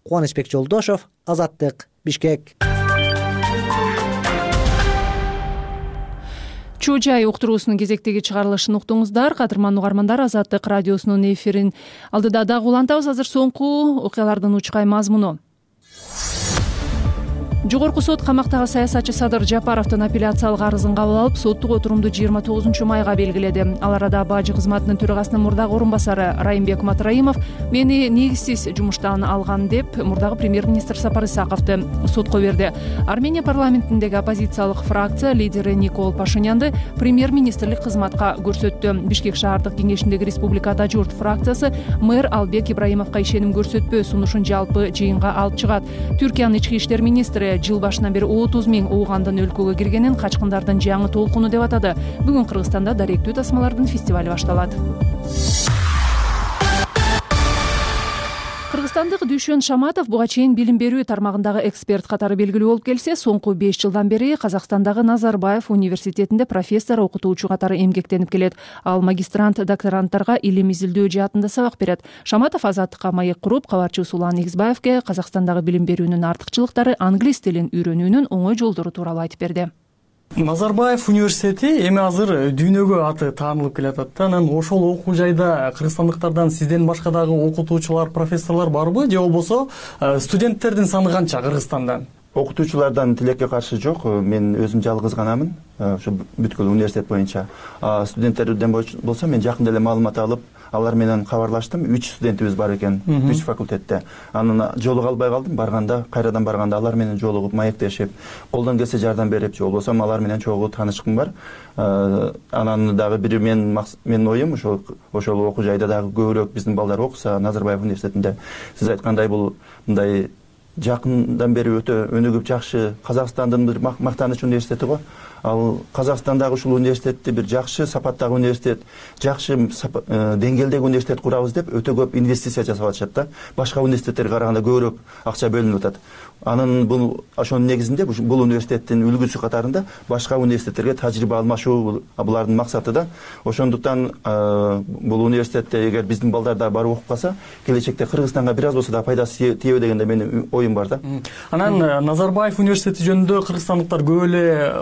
Кубанычбек Жолдошов, Азаттык, Бишкек. Чуу жай уктуруусунун кезектеги чыгарылышын уктуңуздар. Кадырман угармандар, Азаттык радиосунун эфирин алдыда дагы улантабыз. Азыр соңку окуялардын учкай мазмуну. Жогорку сот камактагы саясатчы Садыр Жапаровдун апелляциялык арызын кабыл алып, соттук отурумду жыйырма тогузунчу майга белгиледи. Ал арада бажы кызматынын төрагасынын мурдагы орун басары Райымбек Матраимов мени негизсиз жумуштан алган деп мурдагы премьер-министр Сапар Исаковду сотко берди. Армения парламентиндеги оппозициялык фракция лидери Никол Пашинянды премьер-министрлик кызматка көрсөттү. Бишкек шаардык кеңешиндеги Республика Ата журт фракциясы мэр Албек Ибраимовго ишеним көрсөтпөө сунушун жалпы жыйынга алып чыгат. Түркиянын ички иштер министри жыл башынан бери отуз миң уугандын өлкөгө киргенин качкындардын жаңы толкуну деп атады. Бүгүн Кыргызстанда даректүү тасмалардын фестивали башталат. Кыргызстандык Дүйшөн Шаматов буга чейин билим берүү тармагындагы эксперт катары белгилүү болуп келсе, соңку беш жылдан бери Казакстандагы Назарбаев университетинде профессор, окутуучу катары эмгектенип келет. Ал магистрант, докторанттарга илим изилдөө жаатында сабак берет. Шаматов Азаттыкка маек куруп, кабарчы Сулан Игизбаевге Казакстандагы билим берүүнүн артыкчылыктары, англис тилин үйрөнүүнүн оңой жолдору тууралуу айтып берди. Назарбаев университети эми азыр дүйнөгө аты таанылып келатат да. Анан ошол окуу жайда кыргызстандыктардан сизден башка дагы окутуучулар, профессорлор барбы, же болбосо студенттердин саны канча Кыргызстандан? Окутуучулардан тилекке каршы жок. Мен өзүм жалгыз ганамын ошо бүткүл университет боюнча. Студенттерден болсо мен жакында эле маалымат алып, алар менен кабарлаштым. үч студентибиз бар экен, үч факультетте. Анан жолуга албай калдым. Барганда, кайрадан барганда алар менен жолугуп, маектешип, колдон келсе жардам берип, же болбосо алар менен чогуу таанышкым бар. Анан дагы бир мен менин оюм ошол ошол окуу жайда дагы көбүрөөк биздин балдар окуса Назарбаев университетинде. Сиз айткандай бул мындай жакындан бери өтө өнүгүп жакшы Казакстандын бир мактаныч университети го. Ал Казакстандагы ушул университетти бир жакшы сапаттагы университет, жакшы деңгээлдеги университет курабыз деп өтө көп инвестиция жасап атышат да. Башка университеттерге караганда көбүрөөк акча бөлүнүп атат. Анын бул ошонун негизинде бул университеттин үлгүсү катарында башка университеттерге тажрыйба алмашуу булардын максаты да. Ошондуктан бул университетте эгер биздин балдар да барып окуп калса, келечекте Кыргызстанга бир аз болсо да пайдасы тийеби дегенде менин оюм бар да. Анан Назарбаев университети жөнүндө кыргызстандыктар көп эле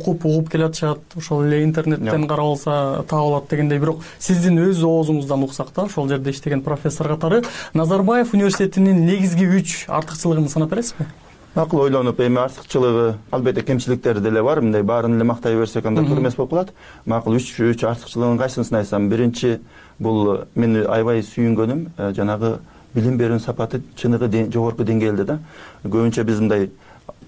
окуп угуп келатышат, ошол эле интернеттен карап алса таап алат дегендей. Бирок сиздин өз оозуңуздан уксак да, ошол жерде иштеген профессор катары Назарбаев университетинин негизги үч артыкчылыгын санап бересизби? Макул ойлонуп, эми артыкчылыгы, албетте кемчиликтери деле бар. Мындай баарын эле мактай берсек анда туура эмес болуп калат. Макул үч үч артыкчылыгын кайсысын айтсам, биринчи бул мени аябай сүйүнгөнүм жанагы билим берүүнүн сапаты, чыныгы жогорку деңгээлде да. Көбүнчө биз мындай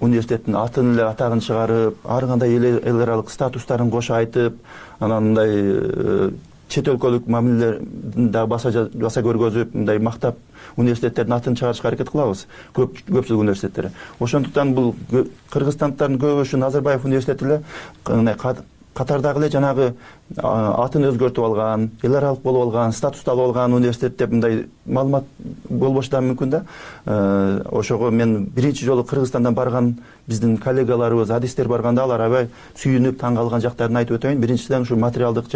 университеттин атын эле атагын чыгарып, ар кандай эл аралык статустарын кошо айтып, анан мындай чет өлкөлүк мамилелерин да баса баса көргөзүп, мындай мактап университеттердин атын чыгарышка аракет кылабыз. Көп көпчүлүк университеттер. Ошондуктан бул кыргызстандыктардын көбү ушу Назарбаев университети эле катардагы эле жанагы атын өзгөртүп алган, эл аралык болуп алган, статусту алып алган университет деп мындай маалымат болбошу да мүмкүн да. Ошого мен биринчи жолу Кыргызстандан барган биздин коллегаларыбыз, адистер барганда алар аябай сүйүнүп таң калган жактарын айтып өтөйүн. Биринчиден ушу материалдык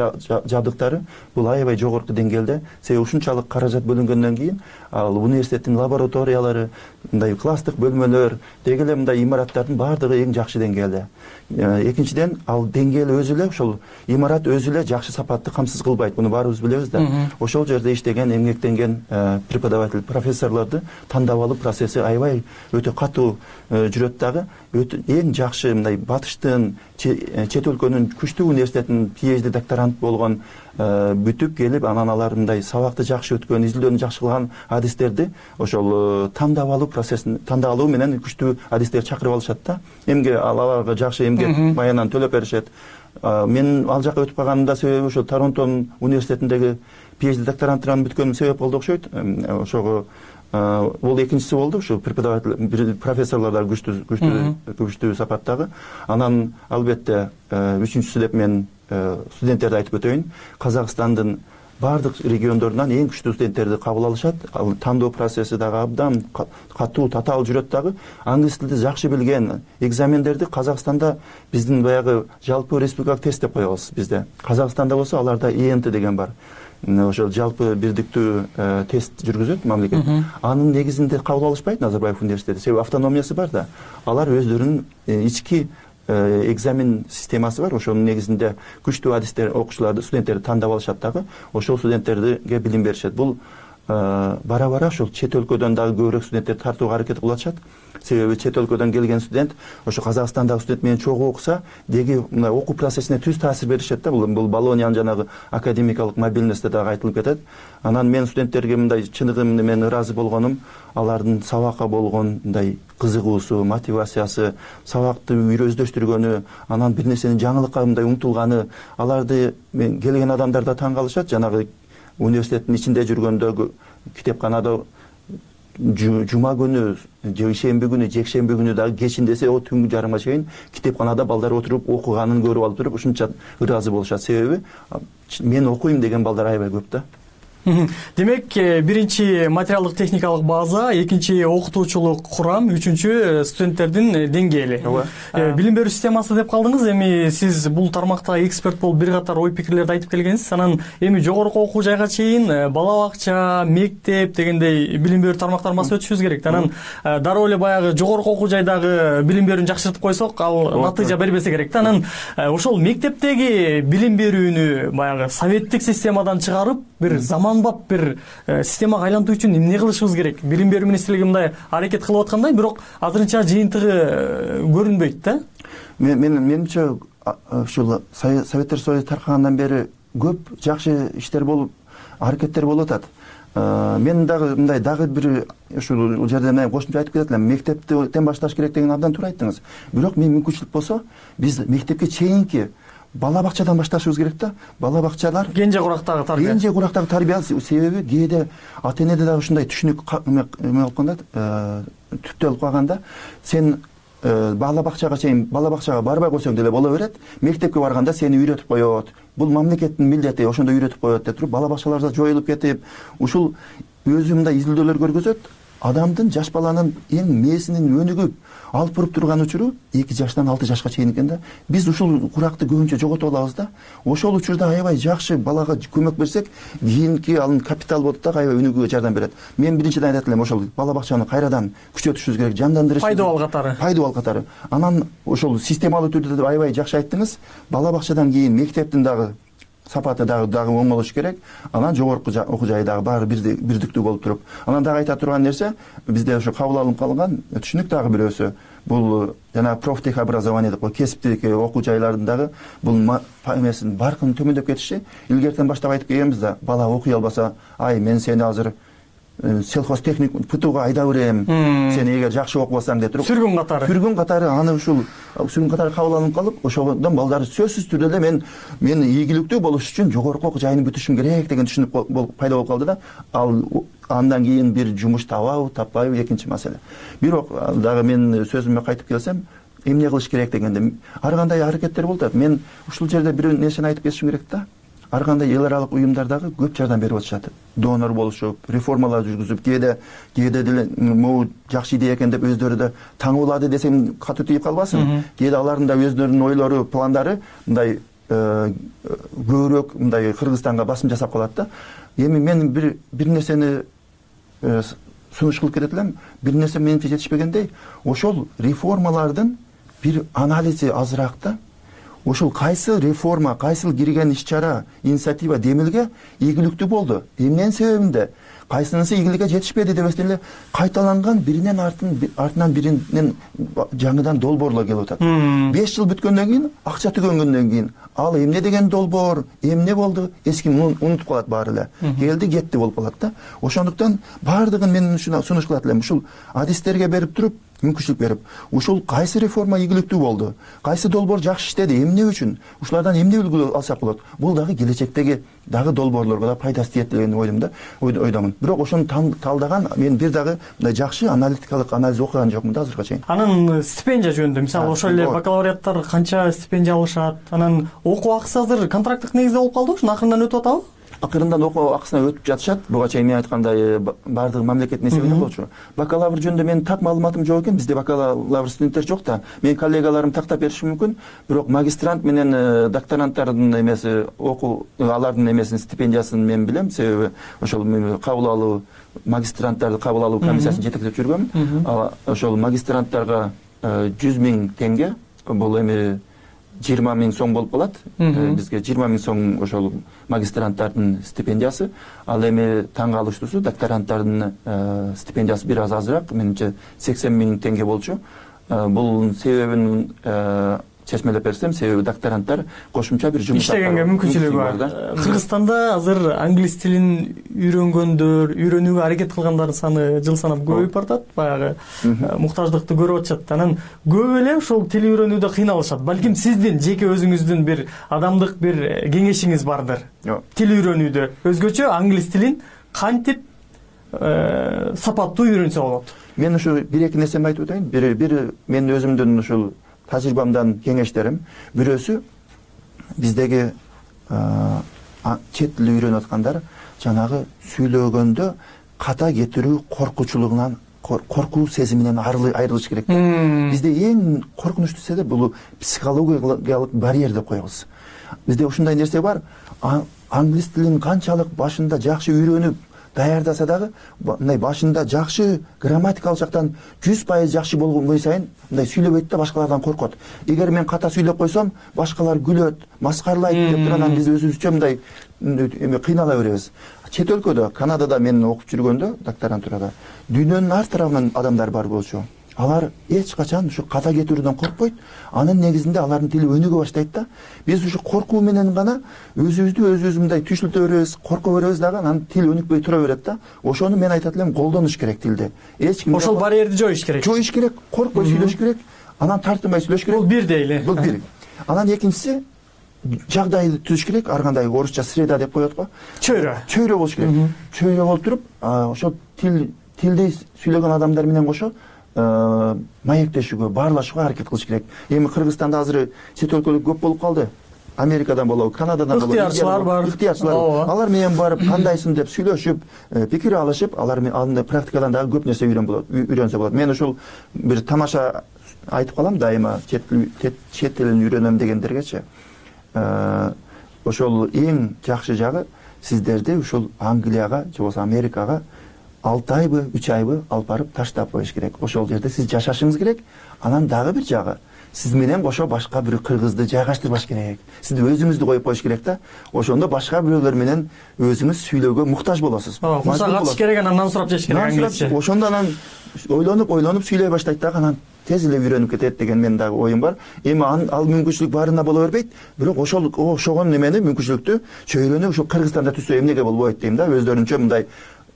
жабдыктары бул аябай жогорку деңгээлде. Себеби ушунчалык каражат бөлүнгөндөн кийин ал университеттин лабораториялары, мындай класстык бөлмөлөр, деги эле мындай имараттардын баардыгы эң жакшы деңгээлде. Экинчиден ал деңгээл өзү эле ошол имарат өзү эле жакшы сапатты камсыз кылбайт. Буну баарыбыз билебиз да. Ошол жерде иштеген, эмгектенген преподаватель, профессорлорду тандап алуу процесси аябай өтө катуу жүрөт дагы. Эң жакшы мындай батыштын, чет өлкөнүн күчтүү университетинин PhD докторант болгон бүтүп келип, анан алар мындай сабакты жакшы өткөн, изилдөөнү жакшы кылган адистерди ошол тандап алуу процессин, тандап алуу менен күчтүү адистер чакырып алышат да. Эмге аларга жакшы эмгек маянан төлөп беришет. Мен ал жака өтүп калганымда себеби ошол Торонтонун университетиндеги PhD докторантыран бүткөнүм себеп болду окшойт. Ошого бул экинчиси болду, ушу преподаватель, профессорлор да күчтүү күчтүү күчтүү сапаттагы. Анан албетте үчүнчүсү деп мен студенттерди айтып өтөйүн. Казакстандын баардык региондорунан эң күчтүү студенттерди кабыл алышат. Ал тандоо процесси дагы абдан катуу, татаал жүрөт дагы. Англис тилди жакшы билген экзамендерди Казакстанда биздин баягы жалпы республикалык тест деп коебуз бизде. Казакстанда болсо аларда и эн ти деген бар. Ошол жалпы бирдиктүү тест жүргүзөт мамлекет. Анын негизинде кабыл алышпайт Назарбаев университети. Себеби автономиясы бар да. Алар өздөрүнүн ички экзамен системасы бар. Ошонун негизинде күчтүү адистер, окуучуларды, студенттерди тандап алышат дагы. Ошол студенттерге билим беришет. Бул бара-бара ошол чет өлкөдөн дагы көбүрөөк студенттерди тартууга аракет кылып атышат. Себеби чет өлкөдөн келген студент ошо Казакстандагы студент менен чогуу окуса, деги мына окуу процессине түз таасир беришет да. Бул бул Болониянын жанагы академикалык мобильности дагы айтылып кетет. Анан мен студенттерге мындай чыныгы мен ыраазы болгонум, алардын сабакка болгон мындай кызыгуусу, мотивациясы, сабакты өздөштүргөнү, анан бир нерсени жаңылыкка мындай умтулганы, аларды мен келген адамдар да таң калышат. Жанагы университеттин ичинде жүргөндөгү китепканада жума күнү, ишемби күнү, жекшемби күнү дагы кечиндесе о түнгү жарымга чейин китепканада балдар отуруп окуганын көрүп алып туруп ушунча ыраазы болушат. Себеби мен окуйм деген балдар аябай көп да. Демек, биринчи материалдык техникалык база, экинчи окутуучулук курам, үчүнчү студенттердин деңгээли. Билим берүү системасы деп калдыңыз. Эми сиз бул тармакта эксперт болуп бир катар ой пикирлерди айтып келгенсиз. Анан эми жогорку окуу жайга чейин бала бакча, мектеп дегендей билим берүү тармактарын басып өтүшүбүз керек. Анан дароо эле баягы жогорку окуу жайдагы билим берүүнү жакшыртып койсок, ал натыйжа бербесе керек да. Анан ошол мектептеги билим берүүнү баягы советтик системадан чыгарып, бир заманбап бир системага айлантуу үчүн эмне кылышыбыз керек? Билим берүү министрлиги мындай аракет кылып аткандай, бирок азырынча жыйынтыгы көрүнбөйт да. Мен менимче ушул Советтер Союзу таркагандан бери көп жакшы иштер болуп, аракеттер болуп атат. Мен дагы мындай дагы бир ушул жерде мен кошумча айтып кетет элем. Мектептен башташ керек деген абдан туура айттыңыз. Бирок мен мүмкүнчүлүк болсо, биз мектепке чейинки бала бакчадан башташыбыз керек да. Бала бакчалар кенже курактагы тарбия. Кенже курактагы тарбия себеби кээде ата энеде дагы ушундай түшүнүк эме болуп калганда, түптөлүп калганда, сен бала бакчага чейин бала бакчага барбай койсоң деле боло берет. Мектепке барганда сени үйрөтүп коет. Бул мамлекеттин милдети, ошондо үйрөтүп коет деп туруп, бала бакчалар да жоюлуп кетип, ушул өзү мындай изилдөөлөр көргөзөт. Адамдын, жаш баланын эң мээсинин өнүгүп, алпырып турган учуру эки жаштан алты жашка чейин экен да. Биз ушул куракты көбүнчө жоготуп алабыз да. Ошол учурда аябай жакшы балага көмөк берсек, кийинки анын капитал болуп да аябай өнүгүүгө жардам берет. Мен биринчиден айтат элем, ошол бала бакчаны кайрадан күчөтүшүбүз керек, жандандырышыбыз. Пайдабал катары. Пайдабал катары. Анан ошол системалуу түрдө аябай жакшы айттыңыз. Бала бакчадан кийин мектептин дагы сапаты дагы дагы оң болуш керек. Анан жогорку окуу жайы дагы баары бирдиктүү болуп туруп. Анан дагы айта турган нерсе, бизде ошо кабыл алынып калган түшүнүк дагы бирөөсү. Бул жана профтех образование деп коет, кесиптик окуу жайлардын дагы бул эмесин баркын төмөндөп кетиши. Илгертен баштап айтып келгенбиз да, бала окуй албаса, ай мен сени азыр сельхозтехник ПТУга айдап берем, сен эгер жакшы окубасаң деп туруп. Сүргүн катары. Сүргүн катары аны ушул сүргүн катары кабыл алынып калып, ошодон балдар сөзсүз түрдө эле мен мен ийгиликтүү болуш үчүн жогорку окуу жайын бүтүшүм керек деген түшүнүк болуп пайда болуп калды да. Ал андан кийин бир жумуш табабы, таппайбы экинчи маселе. Бирок дагы мен сөзүмө кайтып келсем, эмне кылыш керек дегенде ар кандай аракеттер болуп атат. Мен ушул жерде бир нерсени айтып кетишим керек да. Ар кандай эл аралык уюмдар дагы көп жардам берип атышат. Донор болушуп, реформалар жүргүзүп, кээде кээде деле могу жакшы идея экен деп өздөрү да таң кылады десем катуу тийип калбасын. Кээде алардын да өздөрүнүн ойлору, пландары мындай көбүрөөк мындай Кыргызстанга басым жасап калат да. Эми мен бир бир нерсени сунуш кылып кетет элем. Бир нерсе менимче жетишпегендей, ошол реформалардын бир анализи азыраак да. Ошол кайсы реформа, кайсыл кирген иш-чара, инициатива демилге ийгиликтүү болду. Эмненин себебинде кайсынысы ийгиликке жетишпеди дебестен эле кайталанган биринен артынан биринен жаңыдан долбоорлор келип атат. беш жыл бүткөндөн кийин, акча түгөнгөндөн кийин ал эмне деген долбоор, эмне болду, эч ким унутуп калат баары эле. Келди, кетти болуп калат да. Ошондуктан баардыгын мен ушуна сунуш кылат элем. Ушул адистерге берип туруп, мүмкүнчүлүк берип, ушул кайсы реформа ийгиликтүү болду, кайсы долбоор жакшы иштеди, эмне үчүн, ушулардан эмне үлгү алсак болот, бул дагы келечектеги дагы долбоорлорго да пайдасы тиет деген ойдум да, ойдомун. Бирок ошону талдаган мен бир дагы мындай жакшы аналитикалык анализ окуган жокмун да азыркыга чейин. Анан стипендия жөнүндө, мисалы ошол эле бакалавриаттар канча стипендия алышат, анан окуу акысы азыр контракттык негизде болуп калды, ушуну акырындан өтүп атабы? Акырындан окуу акысына өтүп жатышат. Буга чейин мен айткандай баардыгы мамлекеттин эсебинен болчу. Бакалавр жөнүндө менин так маалыматым жок экен. Бизде бакалавр студенттер жок да. Менин коллегаларым тактап бериши мүмкүн. Бирок магистрант менен докторанттардын эмеси, окуу алардын эмесин стипендиясын мен билем. Себеби ошол кабыл алуу магистранттарды кабыл алуу комиссиясын жетектеп жүргөмүн. Ошол магистранттарга жүз миң теңге, бул эми жыйырма миң сом болуп калат. Бизге жыйырма миң сом ошол магистранттардын стипендиясы. Ал эми таң калыштуусу докторанттардын стипендиясы бир аз азыраак, менимче сексен миң теңге болчу. Бул себебин чечмелеп берсем, себеби докторанттар кошумча бир жумуш иштегенге мүмкүнчүлүгү бар. Кыргызстанда азыр англис тилин үйрөнгөндөр, үйрөнүүгө аракет кылгандардын саны жыл санап көбөйүп баратат. Баягы муктаждыкты көрүп атышат. Анан көп эле ушул тил үйрөнүүдө кыйналышат. Балким сиздин жеке өзүңүздүн бир адамдык бир кеңешиңиз бардыр. Тил үйрөнүүдө өзгөчө англис тилин кантип сапаттуу үйрөнсө болот? Мен ушу бир эки нерсени айтып өтөйүн. Бир бир мен өзүмдүн ушул тажрыйбамдан кеңештерим. Бирөөсү биздеги чет тил үйрөнүп аткандар жанагы сүйлөгөндө ката кетирүү коркучулугунан, коркуу сезиминен айрылыш керек. Бизде эң коркунучтуу себеп бул психологиялык барьер деп коебуз. Бизде ушундай нерсе бар. Англис тилин канчалык башында жакшы үйрөнүп даярдаса дагы, мындай башында жакшы грамматикалык жактан жүз пайыз жакшы болгон сайын мындай сүйлөбөйт да, башкалардан коркот. Эгер мен ката сүйлөп койсом, башкалар күлөт, маскаралайт деп турган биз өзүбүзчө мындай эме кыйнала беребиз. Чет өлкөдө, Канадада мен окуп жүргөндө, докторантурада, дүйнөнүн ар тарабынан адамдар бар болчу. Алар эч качан ушу ката кетүүдөн коркпойт. Анын негизинде алардын тили өнүгө баштайт да. Биз ушу коркуу менен гана өзүбүздү өзүбүз мындай түйшүлтө беребиз, корко беребиз дагы, анан тил өнүкпөй тура берет да. Ошону мен айтат элем, колдонуш керек тилди. Эч ким ошол барьерди жоюш керек. Жоюш керек, коркпой сүйлөш керек, анан тартынбай сүйлөш керек. Бул бир дейли. Бул бир. Анан экинчиси жагдайды түзүш керек. Ар кандай орусча среда деп коет го. Чөйрө. Чөйрө болуш керек. Чөйрө болуп туруп, ошол тил тилди сүйлөгөн адамдар менен кошо маектешүүгө, баарлашууга аракет кылыш керек. Эми Кыргызстанда азыр чет өлкөлүк көп болуп калды. Америкадан болобу, Канададан болобу, ыктыярчылар бар. Ыктыярчылар. Алар менен барып, кандайсың деп сүйлөшүп, пикир алышып, алар менен практикадан дагы көп нерсе үйрөн болот, үйрөнсө болот. Мен ушул бир тамаша айтып калам дайыма, чет тилин үйрөнөм дегендергечи. Ошол эң жакшы жагы сиздерди ушул Англияга же болбосо Америкага алты айбы, үч айбы алып барып таштап коюш керек. Ошол жерде сиз жашашыңыз керек. Анан дагы бир жагы, сиз менен кошо башка бир кыргызды жайгаштырбаш керек. Сиз өзүңүздү коюп коюш керек да. Ошондо башка бирөөлөр менен өзүңүз сүйлөөгө муктаж болосуз. Курса катыш керек, анан сурап жеш керек англисче. Ошондо анан ойлонуп, ойлонуп сүйлөй баштайт дагы, анан тез эле үйрөнүп кетет деген менин дагы оюм бар. Эми ал мүмкүнчүлүк баарына боло бербейт, бирок ошол ошогон немени мүмкүнчүлүктү чөйрөнү ушул Кыргызстанда түзсө эмнеге болбойт дейм да. Өздөрүнчө мындай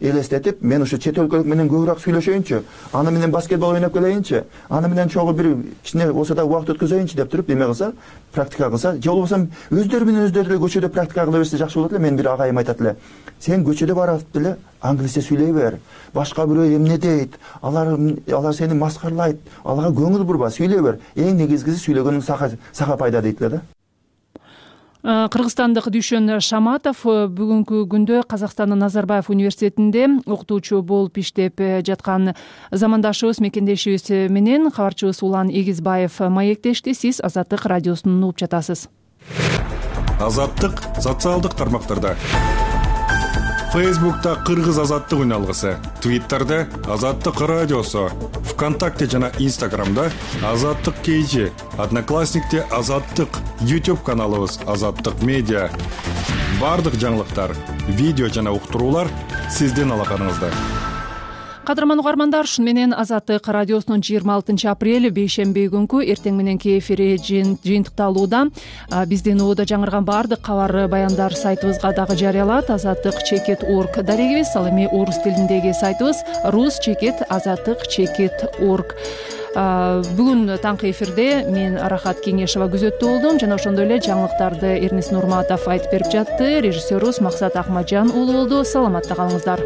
элестетип, мен ушу чет өлкөлүк менен көбүрөөк сүйлөшөйүнчү, аны менен баскетбол ойноп келейинчи, аны менен чогуу бир кичине болсо да убакыт өткөзөйүнчү деп туруп эме кылса, практика кылса, же болбосо өздөрү менен өздөрү эле көчөдө практика кыла берсе жакшы болот эле. Мен бир агайым айтат эле, сен көчөдө барып деле англисче сүйлөй бер, башка бирөө эмне дейт, алар алар сени маскарлайт, аларга көңүл бурба, сүйлөй бер. Эң негизгиси сүйлөгөнүң сага пайда дейт эле да. Кыргызстандык Дүйшөн Шаматов бүгүнкү күндө Казакстандын Назарбаев университетинде окутуучу болуп иштеп жаткан замандашыбыз, мекендешибиз менен кабарчыбыз Улан Эгизбаев маектешти. Сиз Азаттык радиосун угуп жатасыз. Азаттык социалдык тармактарда. Фейсбукта Кыргыз азаттык үналгысы, Твиттерде Азаттык радиосу, ВКонтакте жана Инстаграмда Азаттык кейжи, Одноклассникте Азаттык, YouTube каналыбыз Азаттык медиа. Бардык жаңылыктар, видео жана уктуруулар сиздин алаканыңызда. Кадырман угармандар, ушун менен Азаттык радиосунун жыйырма алтынчы апрель бейшемби күнкү эртең мененки эфири жыйынтыкталууда. Биздин ууда жаңырган баардык кабар баяндар сайтыбызга дагы жарыялат. Азаттык чекит орг дарегибиз, ал эми орус тилиндеги сайтыбыз рус чекит азаттык чекит орг. Бүгүн таңкы эфирде мен Арахат Кеңешова күзөттүү болдум жана ошондой эле жаңылыктарды Эрнис Нурматов айтып берип жатты. Режиссерубуз Максат Акмаджан уулу болду. Саламатта калыңыздар.